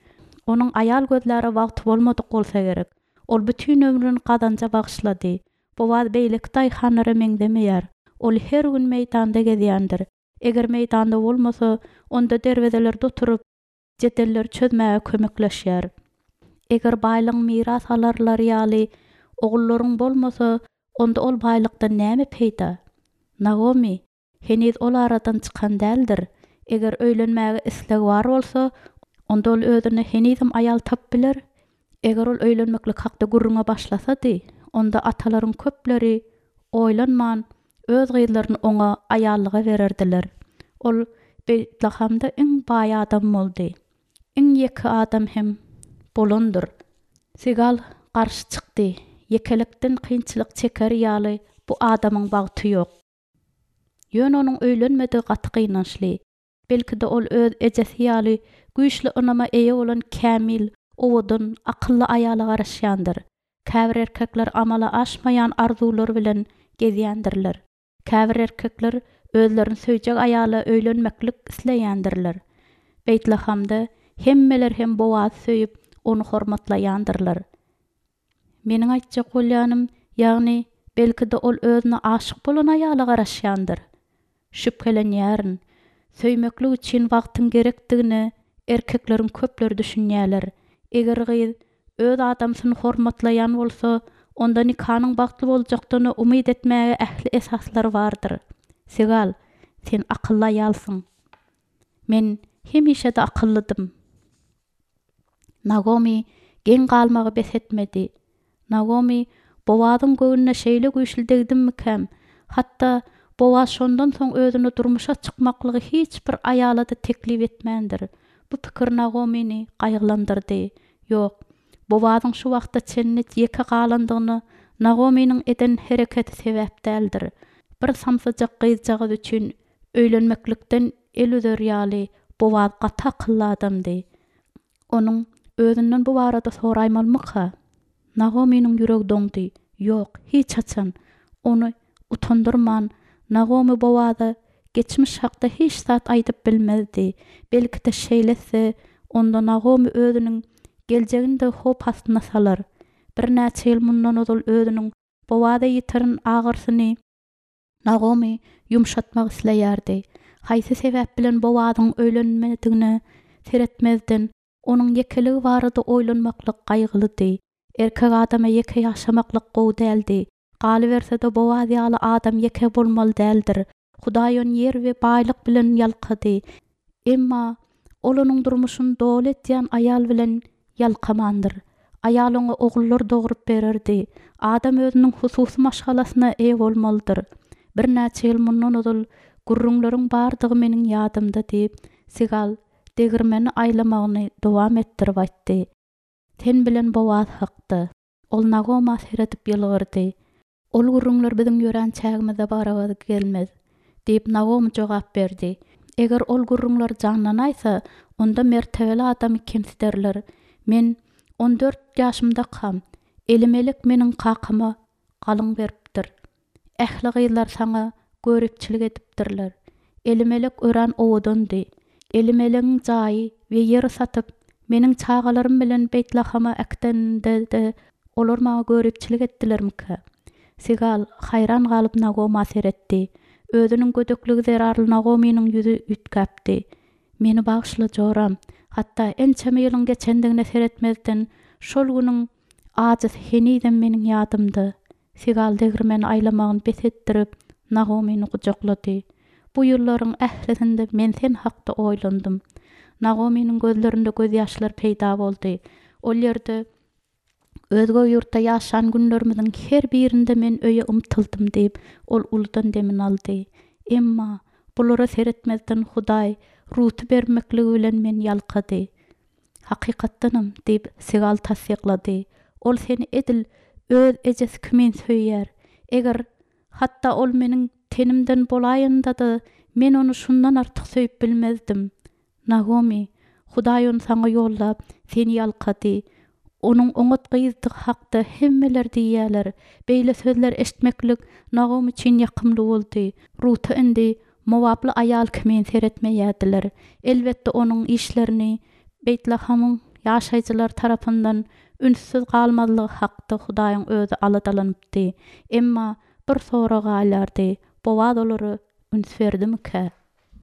Onuň aýal gözläre wagty bolmadyk bolsa gerek. Ol bütin ömrüni gazanja bagyşlady. Bowaz beýleki daýhanlara meňzemeýär. Ol her gün meýdanda gezýändir. Eger meýdanda bolmasa, onda derwezelerde oturyp, jedelleri çözmäge kömekleşýär. Eger baýlygyň miras alarlary ýaly ogullaryň bolmasa, onda ol baýlykdan näme peýda? Nagomi heniz ol aradan çykan däldir. Eger öýlenmäge islegi bar bolsa, onda ol özüne henizem aýal tapyp biler. Eger ol öýlenmeklik hakda gürrüňe başlasady, onda atalaryň köpleri oýlanman öz gyzlaryny oňa aýallyga bererdiler. Ol Beýtlahamda iň baý adam boldy. Iň ýeke adam hem bolandyr. Sigal garşy çykdy. Ýekelikden kynçylyk çeker ýaly bu adamyň bagty ýok. Ýöne onuň öýlenmedigi gaty gynançly. Belki-de ol öz ejesi ýaly güýçli ynama eýe bolan kämil, owadan, akylly aýala garaşýandyr. Käbir erkekler amala aşmaýan arzuwlar bilen gezýändirler. Käbir erkekler özlerini söýjek aýala öýlenmeklik isleýändirler. Beýtlahamda hemmeler hem Bowazy söýüp, ony hormatlaýandyrlar. Meniň aýtjak bolýanym, ýagny belki-de ol özüne aşyk bolan aýala garaşýandyr. Şübhelenýärin. Söýmeklik üçin wagtyň gerekdigine erkekleriň köpleri düşünýärler. Eger gyz öz adamsyny hormatlaýan bolsa, onda nikanyň bagtly boljakdygyna umyt etmäge ähli esaslar bardyr. Sigal, sen akylly aýalsyň. Men hemişe-de akyllydym. Nagomi geň galmagy bes etmedi. Nagomi Bowazyň göwnüne şeýle güýçli degdimmikäm? Hatda Bowaz şondan soň özüne durmuşa çykmaklygy hiç bir aýala-da teklip etmändir. Bu pikir Nagomini gaýgylandyrdy. Ýok, Bowazyň şu wagta çenli ýeke galandygyna Nagominiň eden hereketi sebäp däldir. Bir samsyjak gyzjagaz üçin öýlenmeklikden el üzer ýaly Bowaz gaty akylly adamdy. Onuň özünden bu barada soraýmalymyka? Nagominiň ýüregi doňdy. Ýok, hiç haçan ony utandyrman Nagomi Bowaza geçmiş hakda hiç zat aýdyp bilmezdi. Belki-de şeýle etse, onda Nagomi özüniň geljegini-de howp astyna salar. Birnäçe ýyl mundan ozal özüniň Bowaza ýitiren agyrsyny Nagomi ýumşatmak isleýärdi. Haýsy sebäp bilen Bowazyň öýlenmedigine seretmezden, onuň ýekeligi barada oýlanmaklyk gaýgylydy. Erkek adama ýeke ýaşamaklyk gowy däldi. Galyberse-de Bowaz ýaly adam ýeke bolmaly däldir. Hudaý ony ýer we baýlyk bilen ýalkady. Emma ol onuň durmuşyny doly etýän aýal bilen ýalkamandyr. Aýal oňa ogullar dogrup bererdi. Adam özüniň hususy maşgalasyna eýe bolmalydyr. Birnäçe ýyl mundan ozal gürrüňleriň bardygy meniň ýadymda diýip, Sigal degirmeni aýlamagyny dowam etdirip aýtdy. Sen bilen Bowaz hakda. Ol Nagoma seredip ýylgyrdy. Ol gürrüňler biziň ýörän çägimize barabar gelmez, diýip Nagomi jogap berdi. Eger ol gürrüňler janlanaýsa, onda mertebeli adamy kemsiderler. Men on dört ýaşymdakam, Elimelek meniň kakama galyň beripdir. Ähli gyzlar saňa göripçilik edipdirler. Elimelek örän owadandy. Elimelegiň jaýy we ýeri satyp, meniň çagalarym bilen Beýtlahama äkidende-de olar maňa göripçilik etdilermikä? Sigal haýran galyp Nagoma seretdi. Özüniň gödekligi zerarly Nagominiň ýüzi üýtgäpdi. Meni bagyşla joram. Hatda ençeme ýylyň geçendigine seretmezden, şol günüň ajysy henizem meniň ýadymda. Sigal degirmeni aýlamagyny bes etdirip, Nagomini gujaklady. Bu ýyllaryň ählisinde men sen hakda oýlandym. Nagominiň gözlerinde gözýaşlar peýda boldy. Ol ýerde özge ýurtda ýaşan günlerimiziň her birinde men öýe ymtyldym diýip, ol uludan demini aldy. Emma bulara seretmezden Hudaý Ruty bermekligi bilen men ýalkady. Hakykatdanam diýip Sigal tassyklady. Ol seni edil öz ejesi kimin söýýär. Eger hatda ol meniň tenimden bolaýanda-da men ony şundan artyk söýüp bilmezdim. Nagomi, Hudaý ony saňa ýollap, seni ýalkady. Onuň oňat gyzdygy hakda hemmeler diýýärler. Beýle sözler eşitmeklik Nagomy üçin ýakymly boldy. Ruta indi mowaply aýal kimin seretmeýärdiler. Elbetde, onuň işlerini Beýtlahamyň ýaşaýjylary tarapyndan ünssüz galmazlygy hakda Hudaýyň özi aladalanypdy. Emma bir sorag galýardy, Bowaz olara üns berdimikä?